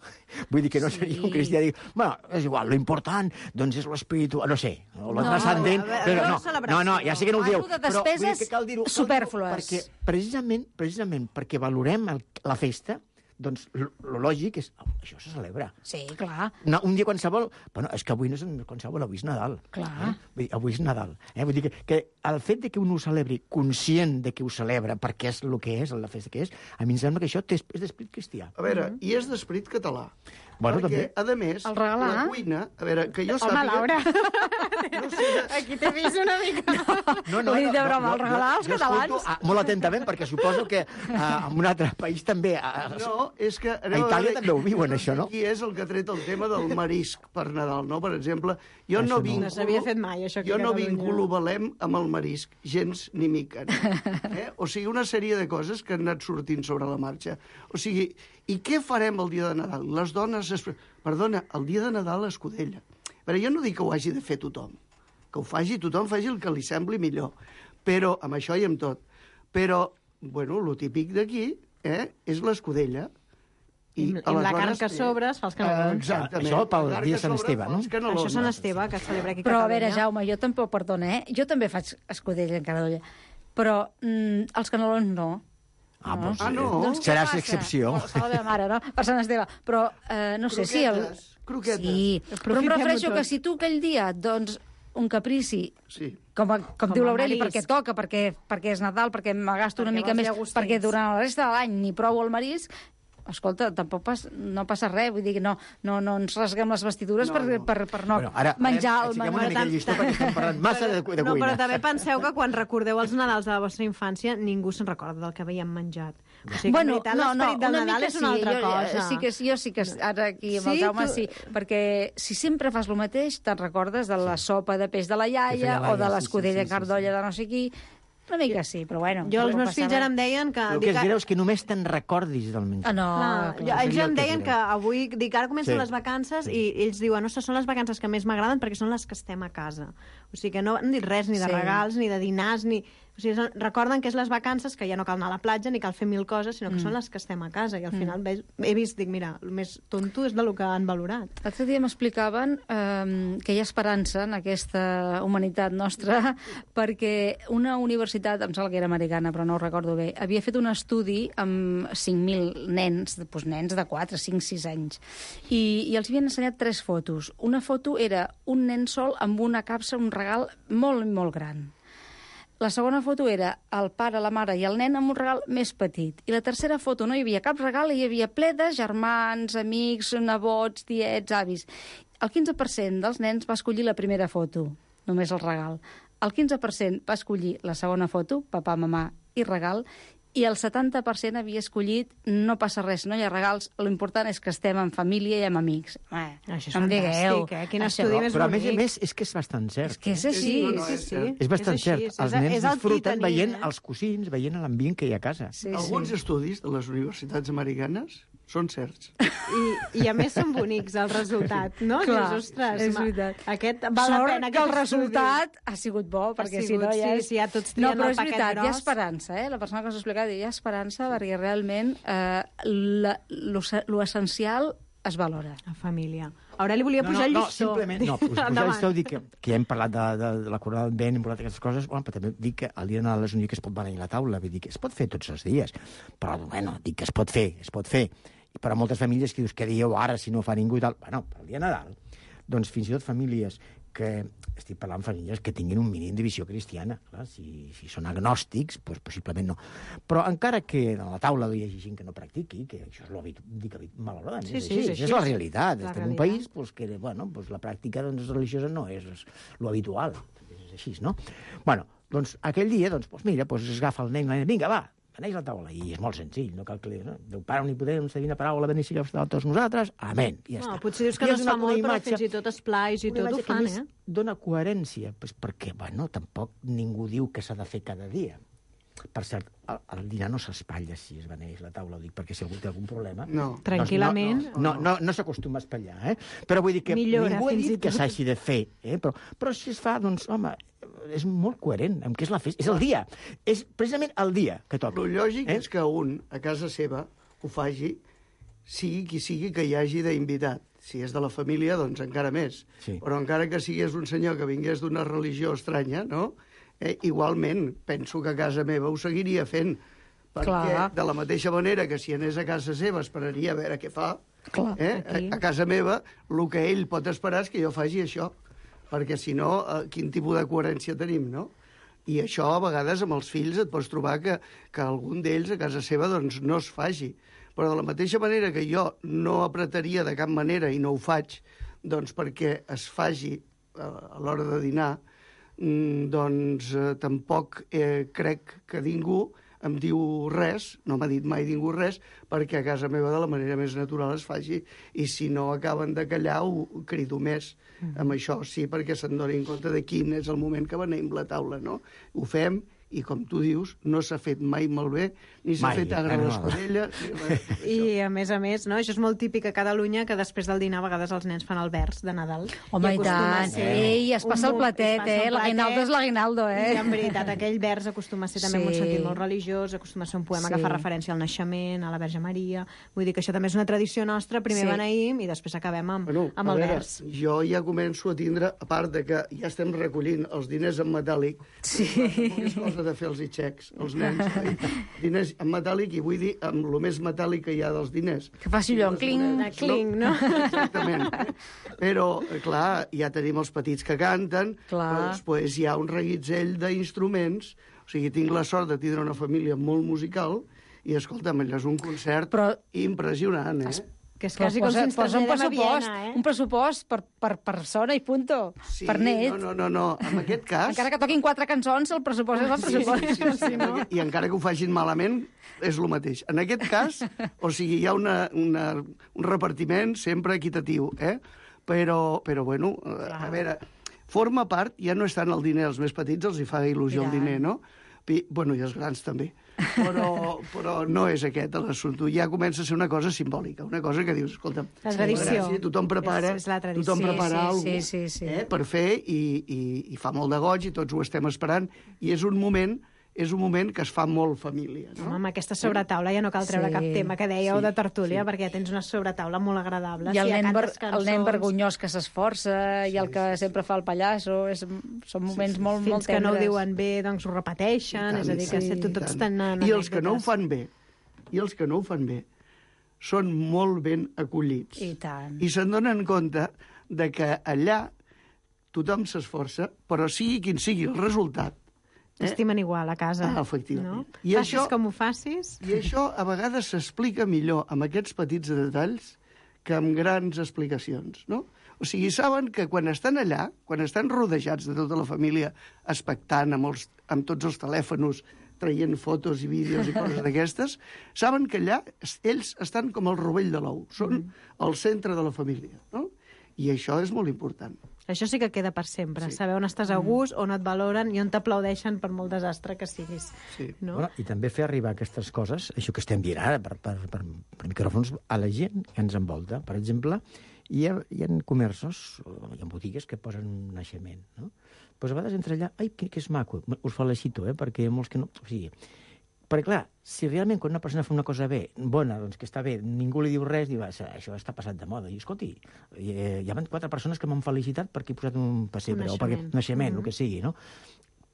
Vull dir que no seria un cristià dir, bueno, és igual, lo important, doncs és l'espíritu, no sé, o lo transcendent, però no, ja sé que no ho dieu, però vull dir que cal dir-ho superflues. Perquè precisament perquè valorem la festa, doncs lo lògic és... Això se celebra. Sí, clar. No, un dia qualsevol... Bueno, és que avui no és qualsevol, avui és Nadal. Clar. Vull dir, avui és Nadal. Vull dir que el fet de que un ho celebri conscient de que ho celebra perquè és el que és, la festa que és, a mi em sembla que això és d'esperit cristià. A veure, i és d'esperit català. Bueno, perquè, a més, la cuina... A veure, que jo sàpiga... Home, Laura, aquí t'he vist una mica... No, he dit de broma, el regalar als catalans... Molt atentament, perquè suposo que en un altre país també... No, és que... A Itàlia també ho viuen, això, no? Qui és el que ha tret el tema del marisc per Nadal, no? Per exemple, jo no vinculo... No s'havia fet mai, això aquí a Jo no Catalunya. vinculo Belém amb el marisc, gens ni mica. O sigui, una sèrie de coses que han anat sortint sobre la marxa. O sigui, i què farem el dia de Nadal? Les dones... Perdona, el dia de Nadal escudella. Però jo no dic que ho hagi de fer tothom. Que ho faci tothom, faci el que li sembli millor. Però, amb això i amb tot. Però, bueno, lo típic d'aquí és l'escudella. I la carn que sobre es fa els canelons. Exactament. Això pel dia de Sant Esteve, no? Això és Sant Esteve, que es celebra aquí a Però, Catalunya. a veure, Jaume, jo tampoc, perdona, jo també faig escudella en cada olla. Però els canelons no. Doncs, no? Seràs excepció. La meva mare, no? Per Sant Esteve. Però, no sé si... Croquetes. Sí, però em refereixo que si tu aquell dia, doncs, un caprici, com diu l'Aureli, perquè toca, perquè és Nadal, perquè me gasto una mica més, perquè durant la resta de l'any ni prou el marisc, escolta, tampoc no passa res, vull dir que no ens rasguem les vestidures per no menjar el menú. Una mica el llistó perquè estem parlant massa de cuina. No, però també penseu que quan recordeu els Nadals de la vostra infància, ningú se'n recorda del que havíem menjat. O sigui, que en veritat l'esperit del Nadal és una altra cosa. Jo sí que ara aquí amb el Jaume sí, perquè si sempre fas el mateix, te'n recordes de la sopa de peix de la iaia o de l'escudella en cardolla de no sé qui. Una mica sí, però bueno. Jo, els meus fills ara em deien que... El que es greu és que només te'n recordis del menjar. Ells em deien que avui, ara comencen les vacances i ells diuen, ostres, són les vacances que més m'agraden perquè són les que estem a casa. O sigui que no han dit res ni de regals, ni de dinars, ni... O sigui, recorden que és les vacances, que ja no cal anar a la platja ni cal fer mil coses, sinó que són les que estem a casa. I al final he vist, dic, mira, el més tonto és del que han valorat. L'altre dia m'explicaven que hi ha esperança en aquesta humanitat nostra perquè una universitat, em sembla que era americana, però no ho recordo bé, havia fet un estudi amb 5.000 nens, nens de 4, 5, 6 anys, i els havien ensenyat 3 fotos. Una foto era un nen sol amb una capsa, un regal molt, molt gran. La segona foto era el pare, la mare i el nen amb un regal més petit. I la tercera foto no hi havia cap regal, hi havia ple de germans, amics, nebots, tiets, avis. El 15% dels nens va escollir la primera foto, només el regal. El 15% va escollir la segona foto, papà, mamà i regal, i el 70% havia escollit no passa res, no hi ha regals, l'important és que estem en família i amb amics. Això és fantàstic, Quin estudi més bonic. Però a més és que és bastant cert. És que és així. És bastant cert. Els nens disfruten veient els cosins, veient l'ambient que hi ha a casa. Alguns estudis de les universitats americanes són certs. I a més són bonics, el resultat, no? Clar, dius, ostres, és veritat. Aquest val la pena, que el resultat ha sigut bo, perquè si no ja és... Sí, ja tots trien el paquet gros. No, però és veritat, hi ha esperança, La persona que us ha explicat, hi ha esperança perquè realment l'essencial es valora. La família. Ara li volia pujar el llistó. Pujar el llistó, dic que ja hem parlat de la corona del vent, hem parlat d'aquestes coses, però també dic que el dia de Nadal és un dia que es pot beneir la taula, vull dir que es pot fer tots els dies, però, dic que es pot fer. I per a moltes famílies que dius, què dieu ara si no fa ningú i tal? Bueno, per al dia de Nadal, doncs fins i tot famílies que, estic parlant de famílies que tinguin un mínim de visió cristiana. Clar, si són agnòstics, doncs possiblement no. Però encara que a la taula hi hagi gent que no practiqui, que això és l'habitual, malauradament, és la realitat. Estem en un país que la pràctica religiosa no és l'habitual. És així, no? Bueno, doncs aquell dia, es agafa el nen, vinga, va, beneix la taula, i és molt senzill, no cal que Déu Pare Omnipotent, Divina Paraula, beneixi a tots nosaltres, amén, i ja està. Potser dius que no es fa molt, però fins i tot esplais i tot ho fan, Dóna coherència, perquè, tampoc ningú diu que s'ha de fer cada dia. Per cert, el dinar no s'espatlla si es beneix la taula, ho dic, perquè si algú té algun problema... No, tranquil·lament. No s'acostuma a espatllar, Però vull dir que ningú ha dit que s'hagi de fer, Però si es fa, doncs, home, és molt coherent amb què és la festa. És el dia. És precisament el dia que toca. El lògic és que un, a casa seva, ho faci, sigui qui sigui que hi hagi d'invitat. Si és de la família, doncs encara més. Sí. Però encara que sigués un senyor que vingués d'una religió estranya, no? Igualment, penso que a casa meva ho seguiria fent. Perquè de la mateixa manera que si anés a casa seva esperaria a veure què fa, a casa meva el que ell pot esperar és que jo faci això. Perquè si no, quin tipus de coherència tenim, no? I això, a vegades, amb els fills et pots trobar que algun d'ells a casa seva doncs, no es faci. Però de la mateixa manera que jo no apretaria de cap manera i no ho faig doncs perquè es faci a l'hora de dinar, doncs tampoc crec que ningú em diu res, no m'ha dit mai ningú res, perquè a casa meva de la manera més natural es faci, i si no acaben de callar ho crido més amb això, sí, perquè se'n donin compte de quin és el moment que beneïm la taula, no? Ho fem, i com tu dius, no s'ha fet mai malbé, ni s'ha fet agre a l'espadella. I a més, no? Això és molt típic a Catalunya, que després del dinar a vegades els nens fan el vers de Nadal. Home, i tant. Ei, es passa el platet, l'aguinaldo és l'aguinaldo, I en veritat, aquell vers acostuma a ser també amb un sentit molt religiós, acostuma a ser un poema que fa referència al naixement, a la Verge Maria. Vull dir que això també és una tradició nostra, primer beneïm i després acabem amb el vers. Jo ja començo a tindre, a part de que ja estem recollint els diners en metàl·lic, de fer els xecs, els nens. Diners en metàl·lic, i vull dir amb el més metàl·lic que hi ha dels diners. Que faci allò, cling, no? Exactament. Però, clar, ja tenim els petits que canten, però després hi ha un reguitzell d'instruments, o sigui, tinc la sort de tindre una família molt musical, i, escolta'm, allò és un concert impressionant, Que és quasi com si ens traslladem a Viena, Un pressupost per persona i punto. Sí, per net. No. En aquest cas... Encara que toquin 4 cançons, el pressupost és el pressupost. Sí. I encara que ho facin malament, és el mateix. En aquest cas, o sigui, hi ha un repartiment sempre equitatiu, Però, bueno, a veure, forma part, ja no és tant el diner, als més petits els hi fa il·lusió el diner, no? Bueno, i els grans també. Però no és aquest l'assumpte. Ja comença a ser una cosa simbòlica, una cosa que dius, escolta, la tradició. Tothom prepara alguna cosa per fer, i fa molt de goig, i tots ho estem esperant, i és un moment que es fa molt família. No? Amb aquesta sobretaula ja no cal treure cap tema que dèieu de tertúlia, perquè ja tens una sobretaula molt agradable. I el nen vergonyós que s'esforça, i el que sempre fa el pallasso, són moments molt tendres. Fins que no ho diuen bé, doncs ho repeteixen, és a dir, que tots tenen I els que no ho fan bé, són molt ben acollits. I tant. I se'n donen compte de que allà tothom s'esforça, però sigui quin sigui el resultat, estimen igual a casa. Efectivament. No? Facis com ho facis. I això a vegades s'explica millor amb aquests petits detalls que amb grans explicacions, no? O sigui, saben que quan estan allà, quan estan rodejats de tota la família, expectant amb tots els telèfons traient fotos i vídeos i coses d'aquestes, saben que allà ells estan com el rovell de l'ou, són el centre de la família, no? I això és molt important. Això sí que queda per sempre, saber on estàs a gust, on et valoren i on t'aplaudeixen per molt desastre que siguis. Sí. No? Bueno, I també fer arribar aquestes coses, això que estem dient ara, per micròfons, a la gent que ens envolta. Per exemple, hi ha comerços, hi ha botigues que posen un naixement, no? Pues a vegades entra allà, ai, que és maco, us felicito, perquè hi ha molts que no... O sigui, perquè, clar, si realment quan una persona fa una cosa bé, bona, doncs que està bé, ningú li diu res, diu, això està passat de moda. I, escolti, hi ha 4 persones que m'han felicitat perquè he posat un pessebre, o perquè naixement, el que sigui, no?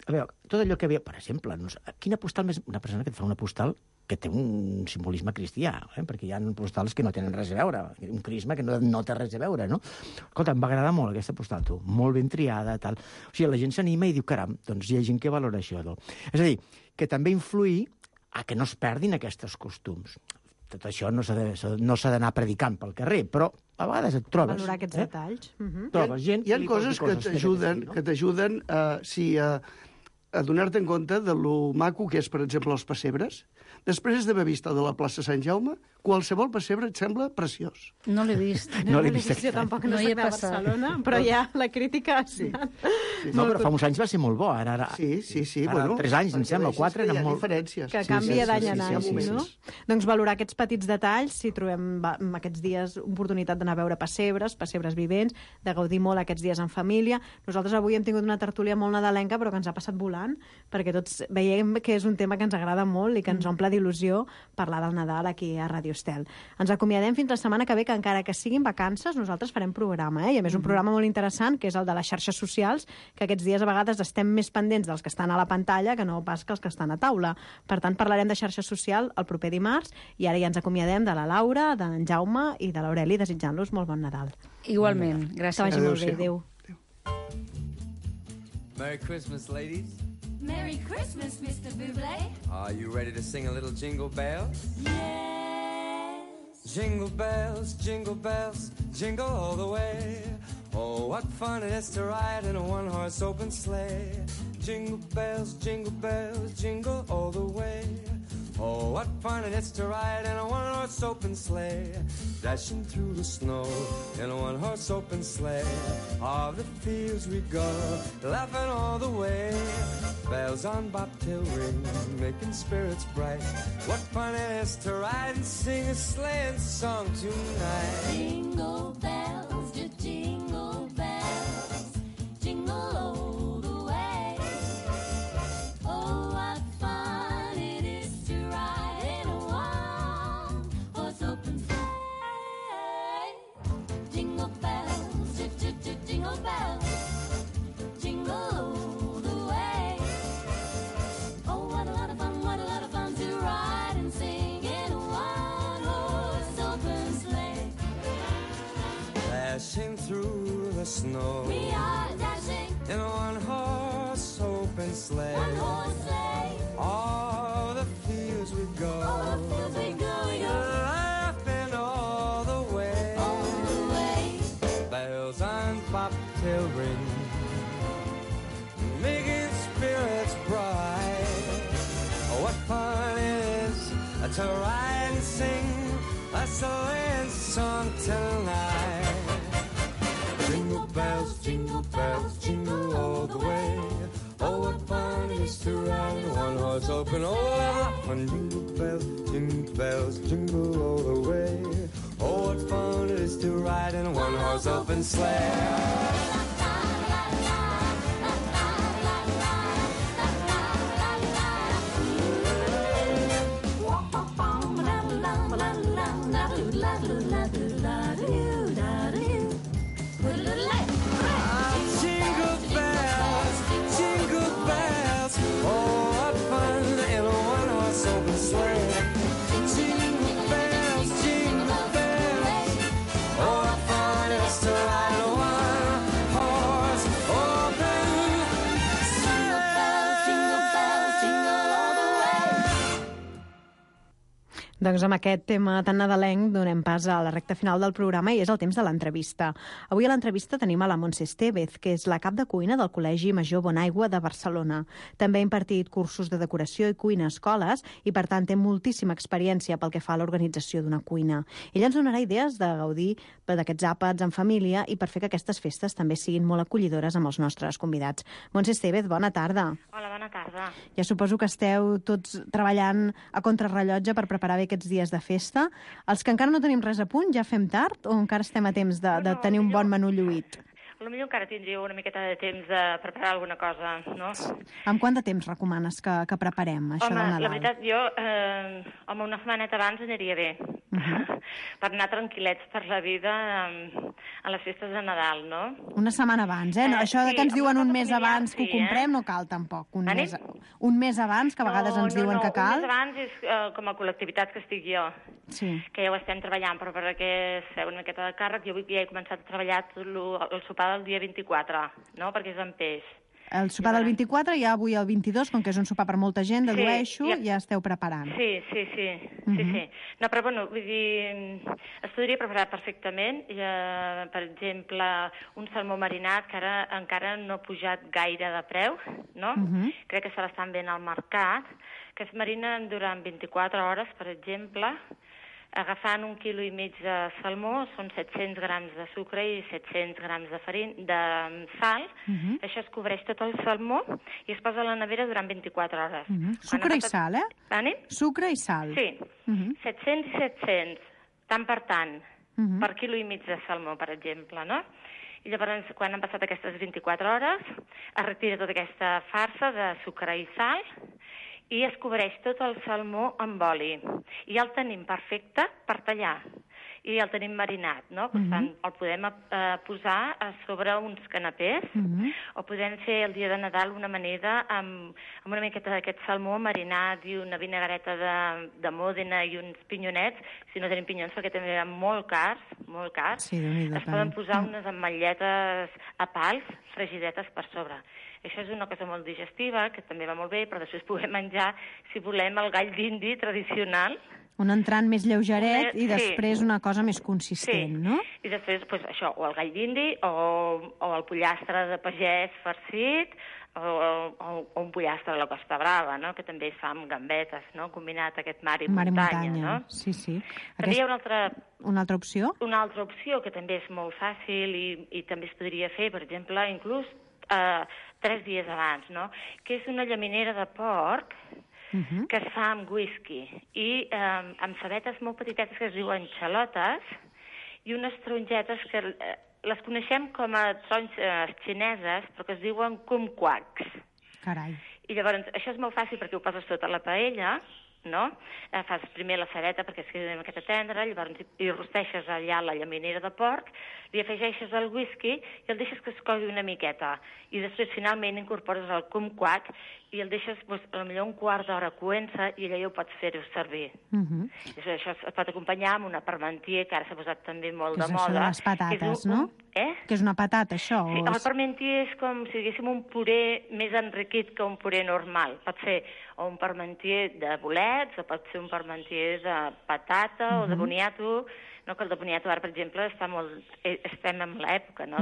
A veure, tot allò que havia... Per exemple, quina postal més... Una persona que et fa una postal que té un simbolisme cristià, perquè hi ha postals que no tenen res a veure, un crisma que no té res a veure, no? Escolta, em va agradar molt aquesta postal, tu, molt ben triada, tal. O sigui, la gent s'anima i diu, caram, doncs hi ha gent que valora això, no? És a dir, que també influï a que no es perdin aquests costums. Tot això no s'ha d'anar predicant pel carrer, però a vegades et trobes... Valorar aquests detalls. Trobes gent... Hi ha coses que t'ajuden a donar-te en compte de lo maco que és, per exemple, els pessebres. Després d'haver vist el de la plaça Sant Jaume, qualsevol pessebre et sembla preciós. No l'he vist. No l'he vist. Jo tampoc no soc de Barcelona, però ja la crítica ha estat... No, però fa uns anys va ser molt bo. Ara Sí. Ara 3 anys, em sembla, 4, eren molt... diferències. Que canvia d'any en any, no? Doncs valorar aquests petits detalls, si trobem aquests dies oportunitat d'anar a veure pessebres vivents, de gaudir molt aquests dies en família. Nosaltres avui hem tingut una tertúlia molt nadalenca, però que ens ha passat volant, perquè tots veiem que és un tema que ens agrada molt i que ens omple d'il·lusió parlar del Nadal aquí a Ràdio Estel. Ens acomiadem fins la setmana que ve, que encara que siguin vacances, nosaltres farem programa, i a més un programa molt interessant, que és el de les xarxes socials, que aquests dies a vegades estem més pendents dels que estan a la pantalla que no pas que els que estan a taula. Per tant, parlarem de xarxa social el proper dimarts, i ara ja ens acomiadem de la Laura, d'en Jaume i de l'Aureli, desitjant-los molt bon Nadal. Igualment, gràcies. Que vagi molt bé, adéu. Merry Christmas, ladies. Merry Christmas, Mr. Bublé. Are you ready to sing a little jingle bells? Yes. Jingle bells, jingle all the way. Oh, what fun it is to ride in a one-horse open sleigh. Jingle bells, jingle all the way. Oh, what fun it is to ride in a one-horse open sleigh. Dashing through the snow in a one-horse open sleigh. O'er the fields we go, laughing all the way. Bells on bobtail ring, making spirits bright. What fun it is to ride and sing a sleighing song tonight. Jingle bells, jingle bells, jingle all the way. Oh, what fun it is to ride in a one-horse open sleigh. Jingle bells, jingle bells, jingle all the way. Oh, what a lot of fun to ride and sing in a one-horse open sleigh. Dashing through the snow, We are dashing in a one-horse open sleigh. one-horse sleigh. All the fields we go, All the fields we go, laughing all the way. all the way. Bells on bobtail ring, making spirits bright. Oh, what fun it is to ride and sing a sleighing song tonight. Jingle bells, jingle all the way. Oh, what fun it is to ride in a one-horse open. Oh, what fun! Jingle bells, jingle all the way. Oh, what fun it is to ride in a one-horse open sleigh. Jingle bells, oh, what fun in a one-horse open sleigh. Jingle bells, oh, what fun it is to ride in a one-horse open sleigh. Doncs amb aquest tema tan nadalenc donem pas a la recta final del programa i és el temps de l'entrevista. Avui a l'entrevista tenim a la Montse Estevez, que és la cap de cuina del Col·legi Major Bonaigua de Barcelona. També ha impartit cursos de decoració i cuina a escoles i, per tant, té moltíssima experiència pel que fa a l'organització d'una cuina. Ella ens donarà idees de gaudir d'aquests àpats en família i per fer que aquestes festes també siguin molt acollidores amb els nostres convidats. Montse Estevez, bona tarda. Hola, bona tarda. Ja suposo que esteu tots treballant a contrarrellotge per preparar bé aquests dies de festa. Els que encara no tenim res a punt, ja fem tard o encara estem a temps de tenir un bon menú lluït? Potser encara tindríeu una miqueta de temps de preparar alguna cosa, no? Amb quant de temps recomanes que preparem això del Nadal? La veritat, jo, una setmaneta abans aniria bé. Per anar tranquil·lets per la vida a les festes de Nadal, no? Una setmana abans, eh? Això de que ens diuen un mes abans que ho comprem no cal tampoc. Un mes abans, que a vegades ens diuen que cal. Un mes abans és com a col·lectivitat que estic jo, que ja ho estem treballant, però perquè es feu una miqueta de càrrec, jo avui ja he començat a treballar el sopar del dia 24, no? Perquè és amb peix. El sopar del 24 i avui el 22, com que és un sopar per molta gent, dedueixo, ja esteu preparant. Sí. No, però bueno, vull dir, es podria preparar perfectament. Per exemple, un salmó marinat, que ara encara no ha pujat gaire de preu, no? Crec que se l'estan venent al mercat, que es marinen durant 24 hores, per exemple, agafant 1,5 quilo de salmó, són 700 grams de sucre i 700 grams de sal. Això es cobreix tot el salmó i es posa a la nevera durant 24 hores. Sucre i sal, eh? Anem? Sucre i sal. Sí. 700 i 700, tant per tant, per 1,5 quilo de salmó, per exemple, no? I llavors, quan han passat aquestes 24 hores, es retira tota aquesta farsa de sucre i sal i es cobreix tot el salmó amb oli. I ja el tenim perfecte per tallar. I ja el tenim marinat, no? Per tant, el podem posar a sobre uns canapés o podem fer el dia de Nadal una amanida amb una miqueta d'aquest salmó marinat i una vinagreta de Mòdena i uns pinyonets. Si no tenim pinyons, perquè també eren molt cars, es poden posar unes ametlletes a pals fregidetes per sobre. Això és una cosa molt digestiva, que també va molt bé, però després podem menjar, si volem, el gall d'indi tradicional. Un entrant més lleugeret i després una cosa més consistent, no? I després, doncs, això, o el gall d'indi, o el pollastre de pagès farcit, o un pollastre de la Costa Brava, no? Que també es fa amb gambetes, no? Combinat aquest mar i muntanya, no? Sí. També hi ha una altra opció? Una altra opció, que també és molt fàcil i també es podria fer, per exemple, inclús 3 dies abans, no? Que és una llaminera de porc que es fa amb whisky i amb cebetes molt petitetes que es diuen xalotes i unes tarongetes que les coneixem com a taronges xineses, però que es diuen kumquats. Carai. I llavors, això és molt fàcil perquè ho poses sota la paella, no? Fas primer la cebeta perquè es quedi una miqueta tendra, llavors hi rosteixes allà la llaminera de porc, li afegeixes el whisky i el deixes que es cogui una miqueta. I després finalment incorpores el kumquat i el deixes potser un quart d'hora coent-se i allà ja ho pots fer-ho servir. Això es pot acompanyar amb una parmentier, que ara s'ha posat també molt de moda. Que és això de les patates, no? Que és una patata, això? Sí, el parmentier és com si diguéssim un puré més enriquit que un puré normal. Pot ser un parmentier de bolets, o pot ser un parmentier de patata o de boniato, no? Que el de boniato ara, per exemple, estem en l'època, no?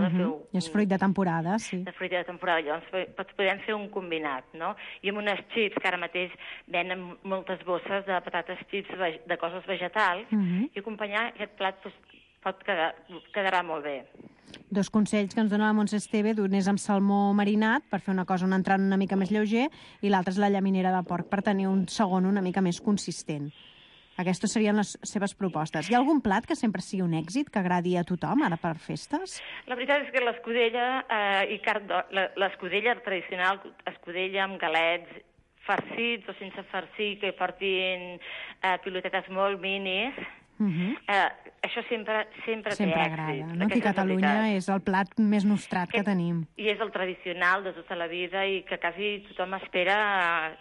I és fruit de temporada, sí. De fruit de temporada, llavors podem fer un combinat, no? I amb unes xips, que ara mateix venen moltes bosses de patates xips de coses vegetals, i acompanyar aquest plat quedarà molt bé. 2 consells que ens dona la Montse Estevez, un és amb salmó marinat, per fer una cosa, un entrant una mica més lleuger, i l'altre és la llaminera de porc, per tenir un segon una mica més consistent. Aquestes serien les seves propostes. Hi ha algun plat que sempre sigui un èxit, que agradi a tothom, ara per festes? La veritat és que l'escudella tradicional, escudella amb galets farcits o sense farcir, que portin pilotetes molt minis, això sempre té èxit. Agrada, no? Aquí a Catalunya és el plat més nostrat que tenim. I és el tradicional de tota la vida i que quasi tothom espera,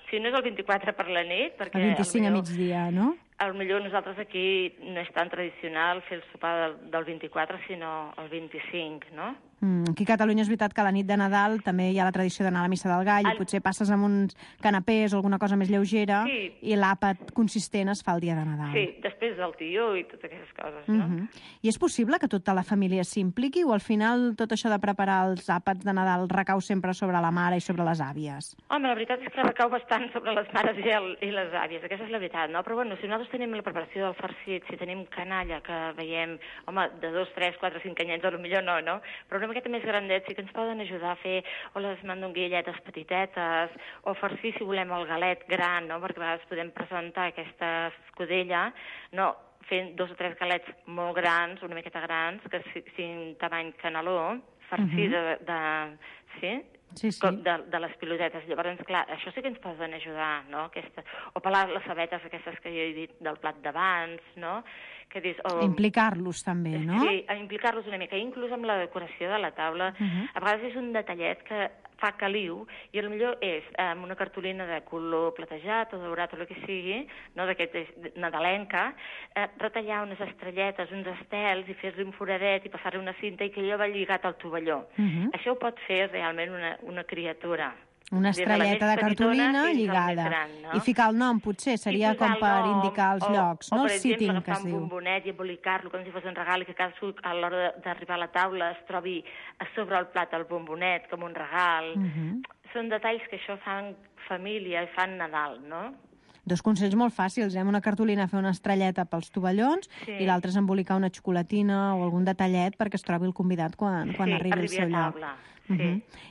si no és el 24 per la nit, perquè el 25 a migdia, no? Potser nosaltres aquí no és tan tradicional fer el sopar del 24, sinó el 25, no? Aquí a Catalunya és veritat que a la nit de Nadal també hi ha la tradició d'anar a la missa del gall i potser passes amb uns canapés o alguna cosa més lleugera i l'àpat consistent es fa el dia de Nadal. Sí, després del tió i totes aquestes coses, no? I és possible que tota la família s'impliqui o al final tot això de preparar els àpats de Nadal recau sempre sobre la mare i sobre les àvies? Home, la veritat és que recau bastant sobre les mares i les àvies, aquesta és la veritat, no? Però bueno, si nosaltres tenim la preparació del farcit, si tenim canalla, que veiem, home, de 2, 3, 4, 5 anyets, potser no? Però una miqueta més grandets sí que ens poden ajudar a fer o les mandonguilletes petitetes o farcir, si volem, el galet gran, no? Perquè a vegades podem presentar aquesta escudella, no? Fent 2 o 3 galets molt grans, una miqueta grans, que siguin tamany caneló, farcir de les pilotetes. Llavors, clar, això sí que ens poden ajudar, no? O pelar les cebetes aquestes que jo he dit del plat d'abans, no? Implicar-los també, no? Sí, implicar-los una mica, inclús amb la decoració de la taula. A vegades és un detallet que fa caliu i potser és amb una cartolina de color platejat o daurat o el que sigui, no, d'aquest nadalenca, retallar unes estrelletes, uns estels i fer-li un foradet i passar-li una cinta i que allò va lligat al tovalló. Això ho pot fer realment una criatura. Una estrelleta de cartolina lligada. Gran, no? I ficar el nom, potser, seria com per indicar els llocs, no? El sitting, que es diu. O, per exemple, agafar un bombonet i embolicar-lo com si fos un regal i que cadascú, a l'hora d'arribar a la taula, es trobi a sobre el plat el bombonet com un regal. Són detalls que això fan família i fan Nadal, no? 2 consells molt fàcils, Amb una cartolina fer una estrelleta pels tovallons i l'altre és embolicar una xocolatina o algun detallet perquè es trobi el convidat quan arribi al seu lloc.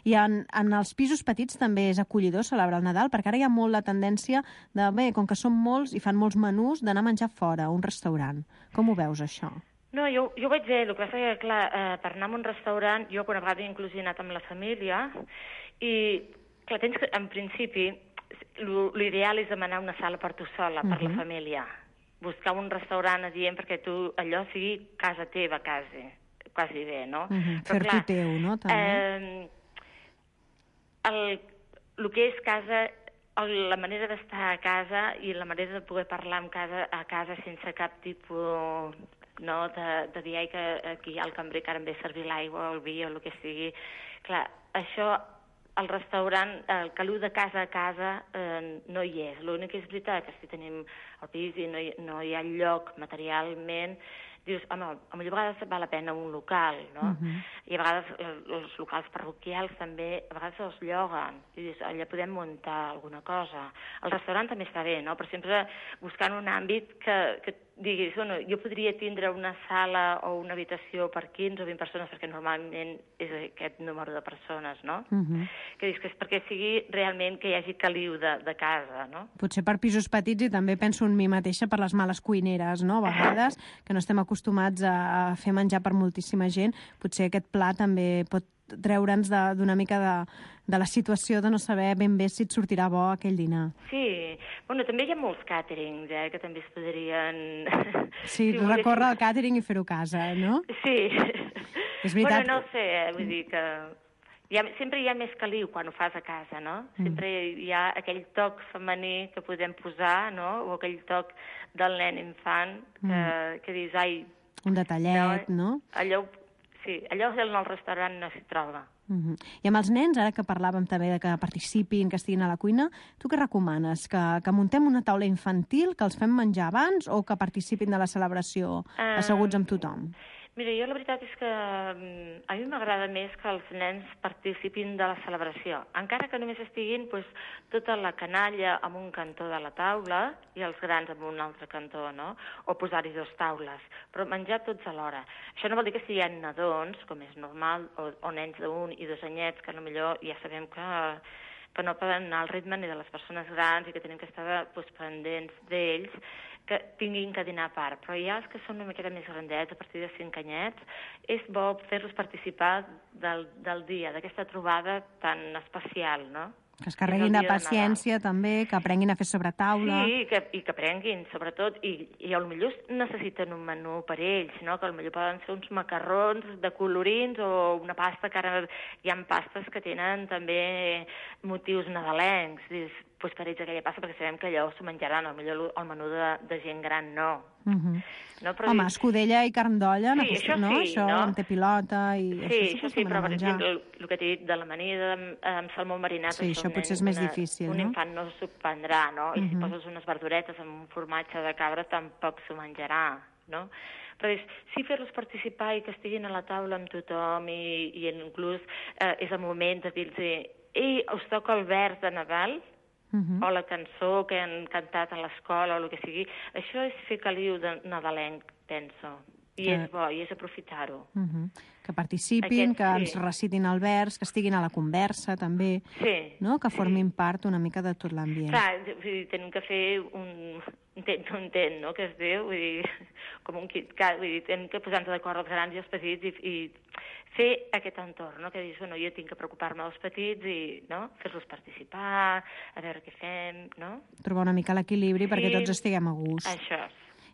I en els pisos petits també és acollidor celebrar el Nadal, perquè ara hi ha molt la tendència de, com que som molts i fan molts menús, d'anar a menjar fora, a un restaurant. Com ho veus, això? No, jo ho vaig dir, el que passa és que, clar, per anar a un restaurant, jo una vegada inclús he anat amb la família i, clar, tens que, en principi, l'ideal és demanar una sala per tu sola, per la família. Buscar un restaurant adient perquè tu allò sigui casa teva, quasi bé, no? Fer-t'ho teu, no? El que és casa, la manera d'estar a casa i la manera de poder parlar a casa sense cap tipus de dir que aquí hi ha el cambrer que ara em ve a servir l'aigua o el vi o el que sigui. Clar, això al restaurant, el caliu de casa a casa no hi és. L'únic que és veritat que si tenim el pis i no hi ha lloc materialment, dius, home, a vegades val la pena un local, no? I a vegades els locals parroquials també, a vegades els lloguen. I dius, allà podem muntar alguna cosa. El restaurant també està bé, no? Però sempre buscant un àmbit que diguis, bueno, jo podria tindre una sala o una habitació per 15 o 20 persones, perquè normalment és aquest número de persones, no? Que dius que és perquè sigui realment que hi hagi caliu de casa, no? Potser per pisos petits i també penso en mi mateixa per les males cuineres, no? A vegades, que no estem acostumats a fer menjar per moltíssima gent, potser aquest pla també pot treure'ns d'una mica de la situació de no saber ben bé si et sortirà bo aquell dinar. Sí, bueno, també hi ha molts càterings, que també es podrien... Sí, recórrer al càtering i fer-ho a casa, no? Sí. És veritat. Bueno, no sé, vull dir que... sempre hi ha més caliu quan ho fas a casa, no? Sempre hi ha aquell toc femení que podem posar, no? O aquell toc del nen infant que dius, ai... Un detallet, no? Sí, allò en el restaurant no s'hi troba. I amb els nens, ara que parlàvem també de que participin, que estiguin a la cuina, tu què recomanes? Que muntem una taula infantil, que els fem menjar abans o que participin de la celebració asseguts amb tothom? Mira, jo la veritat és que a mi m'agrada més que els nens participin de la celebració, encara que només estiguin tota la canalla en un cantó de la taula i els grans en un altre cantó, no? O posar-hi 2 taules, però menjar tots alhora. Això no vol dir que si hi ha nadons, com és normal, o nens d'1 i 2 anyets, que potser ja sabem que no poden anar al ritme ni de les persones grans i que tenim que estar pendents d'ells, que tinguin que dinar a part. Però ja els que són una miqueta més grandets, a partir de 5 anyets, és bo fer-los participar del dia, d'aquesta trobada tan especial, no? Que es carreguin de paciència, també, que aprenguin a fer sobre taula. Sí, i que aprenguin, sobretot, i potser necessiten un menú per ells, no? Que potser poden ser uns macarrons de colorins o una pasta, que ara hi ha pastes que tenen també motius nadalencs. doncs per ells aquella passa, perquè sabem que allò s'ho menjaran, potser el menú de gent gran no. No, però home, escudella i carn d'olla, sí, això no? sí, Això, no? amb té pilota i... Sí, això sí, però per exemple, el que t'he dit de l'amanida amb salmó marinat... Sí, això potser és més difícil, no? Un infant no s'ho prendrà, no? I si poses unes verduretes amb un formatge de cabra tampoc s'ho menjarà, no? Però sí fer-los participar i que estiguin a la taula amb tothom i inclús és el moment de dir-los ei, us toca el vers de Nadal, o la cançó que han cantat a l'escola o el que sigui. Això és fer caliu de nadalenc, penso. I és bo, i és aprofitar-ho. Que participin, que ens recitin el vers, que estiguin a la conversa, també, no? Que formin part una mica de tot l'ambient. Clar, tenim que fer un intent, no?, que es diu, vull dir, com un KitKat, vull dir, tenim que posar-nos d'acord els grans i els petits i fer aquest entorn, no?, que dius, bueno, jo tinc que preocupar-me dels petits i, no?, fer-los participar, a veure què fem, no? Trobar una mica l'equilibri perquè tots estiguem a gust. Això.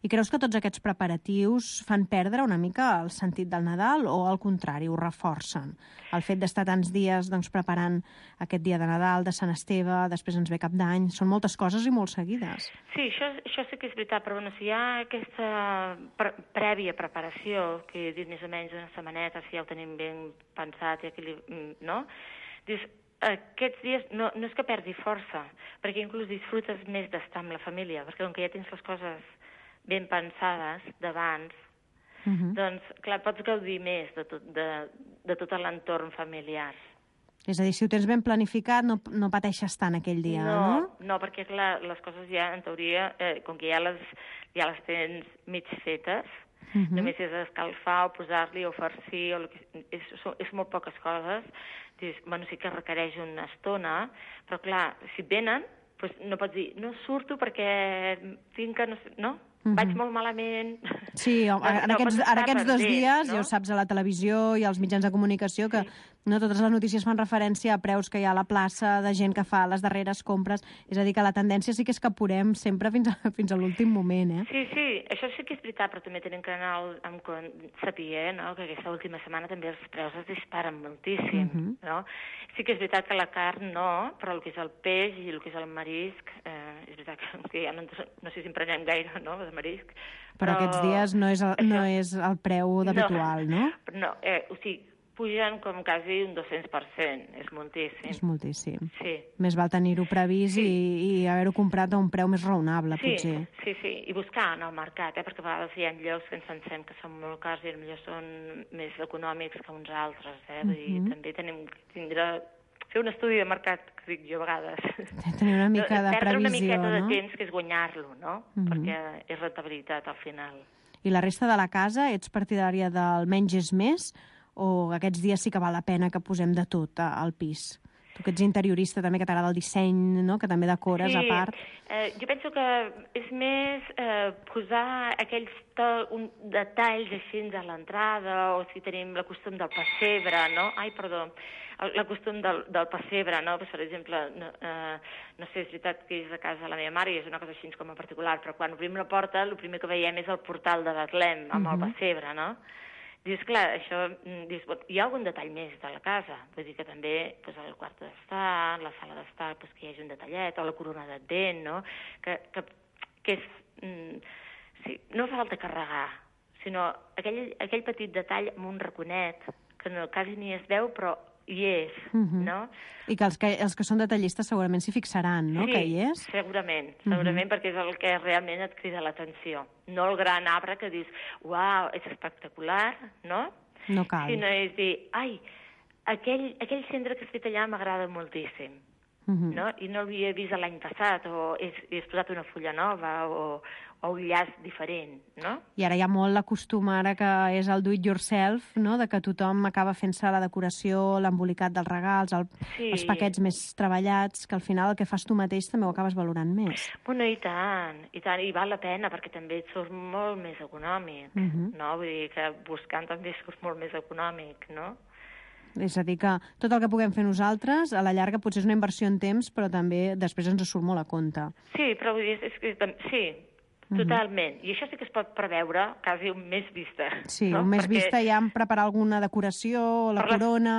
I creus que tots aquests preparatius fan perdre una mica el sentit del Nadal o, al contrari, ho reforcen? El fet d'estar tants dies preparant aquest dia de Nadal, de Sant Esteve, després ens ve Cap d'Any, són moltes coses i molt seguides. Sí, això sí que és veritat, però bueno, si hi ha aquesta prèvia preparació, que he dit més o menys una setmaneta, si ja ho tenim ben pensat, no? Dius, aquests dies no és que perdi força, perquè inclús disfrutes més d'estar amb la família, perquè com que ja tens les coses ben pensades d'abans, doncs, clar, pots gaudir més de tot l'entorn familiar. És a dir, si ho tens ben planificat, no pateixes tant aquell dia, no? No, perquè, clar, les coses ja, en teoria, com que ja les tens mig fetes, només és escalfar o posar-li o farcir, és molt poques coses. Dius, bueno, sí que requereix una estona, però, clar, si venen, no pots dir, no surto perquè tinc que... No? Vaig molt malament... Sí, en aquests 2 dies, ja ho saps, a la televisió i als mitjans de comunicació, que no totes les notícies fan referència a preus que hi ha a la plaça, de gent que fa les darreres compres. És a dir, que la tendència sí que és que apurem sempre fins a l'últim moment, eh? Sí, això sí que és veritat, però també tenim que anar amb saber, no?, que aquesta última setmana també els preus es disparen moltíssim, no? Sí que és veritat que la carn no, però el que és el peix i el que és el marisc, és veritat que ja no sé si en prenem gaire, no?, de marisc. Però aquests dies no és el preu habitual, no? No, o sigui, pugen com quasi un 200%, és moltíssim. És moltíssim. Sí. Més val tenir-ho previst i haver-ho comprat a un preu més raonable, potser. Sí, i buscar en el mercat, perquè a vegades hi ha llocs que ens pensem que són molt cars i potser són més econòmics que uns altres, Vull dir, també tenim que fer un estudi de mercat, que dic jo a vegades. Tenir una mica de previsió, no? Perdre una miqueta de temps, que és guanyar-lo, no? Perquè és rentabilitat al final. I la resta de la casa, ets partidària del menys és més, o aquests dies sí que val la pena que posem de tot al pis? Tu que ets interiorista també, que t'agrada el disseny, no?, que també decores a part. Jo penso que és més posar aquells detalls així a l'entrada, o si tenim la costum del pessebre, no? La costum del pessebre, no? Per exemple, no sé, és veritat que és a casa de la meva mare i és una cosa així com a particular, però quan obrim la porta el primer que veiem és el portal de Betlem amb el pessebre, no? Dius, clar, això... hi ha algun detall més de la casa. Vull dir que també el quart d'estar, la sala d'estar, que hi hagi un detallet, o la corona d'Advent, no? Que és... Sí, no fa falta carregar, sinó aquell petit detall amb un raconet, que quasi ni es veu, però hi és, no? I que els que són detallistes segurament s'hi fixaran, no?, que hi és? Sí, segurament, perquè és el que realment et crida l'atenció. No el gran arbre que dius, uau, és espectacular, no? No cal. Sinó és dir, ai, aquell centre que has fet allà m'agrada moltíssim, no? I no l'havia vist l'any passat, o he posat una fulla nova, o un llaç diferent, no? I ara hi ha molt la costum ara que és el do it yourself, no?, de que tothom acaba fent-se la decoració, l'embolicat dels regals, els paquets més treballats, que al final el que fas tu mateix també ho acabes valorant més. Bueno, i tant, i val la pena, perquè també et surt molt més econòmic, no? Vull dir que buscant també surt molt més econòmic, no? És a dir, que tot el que puguem fer nosaltres, a la llarga potser és una inversió en temps, però també després ens surt molt a compte. Sí, però vull dir, sí, totalment. I això sí que es pot preveure quasi un mes vista. Sí, no? Un mes vista ja en preparar alguna decoració, la corona...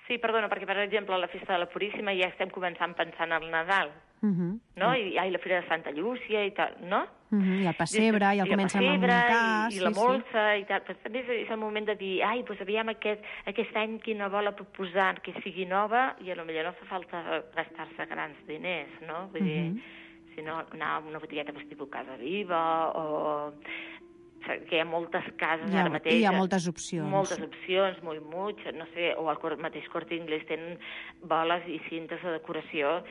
Sí, perdona, perquè, per exemple, a la festa de la Puríssima ja estem començant pensant al Nadal, no? I la Fira de Santa Llúcia i tal, no? I el pessebre, i el comencen a muntar... I la molsa, i tal. Però també és el moment de dir, doncs aviam aquest any quina bola proposar que sigui nova, i potser no fa falta gastar-se grans diners, no? Vull dir, si no, anar a una botigueta tipus Casa Viva, o... que hi ha moltes cases ara mateix. Hi ha moltes opcions. Moltes opcions, molt muig, no sé, o el mateix Corte Inglés tenen boles i cintes de decoració.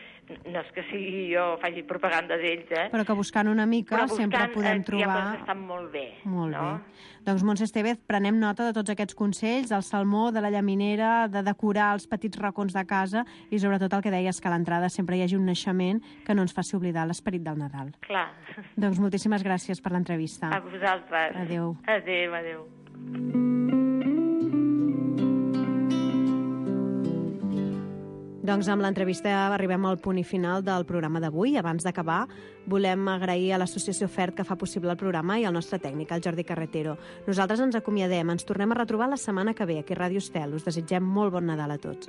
No és que sigui jo faci propaganda d'ells, Però que buscant una mica sempre podem trobar... Hi ha coses que estan molt bé. Molt bé. Doncs, Montse Estevez, prenem nota de tots aquests consells, del salmó, de la llaminera, de decorar els petits racons de casa i sobretot el que deies, que a l'entrada sempre hi hagi un naixement que no ens faci oblidar l'esperit del Nadal. Clar. Doncs moltíssimes gràcies per l'entrevista. A vosaltres. Adéu. Adéu. Doncs amb l'entrevista arribem al punt i final del programa d'avui. Abans d'acabar, volem agrair a l'Associació FERT que fa possible el programa i al nostre tècnic, el Jordi Carretero. Nosaltres ens acomiadem, ens tornem a retrobar la setmana que ve aquí a Ràdio Estel. Us desitgem molt bon Nadal a tots.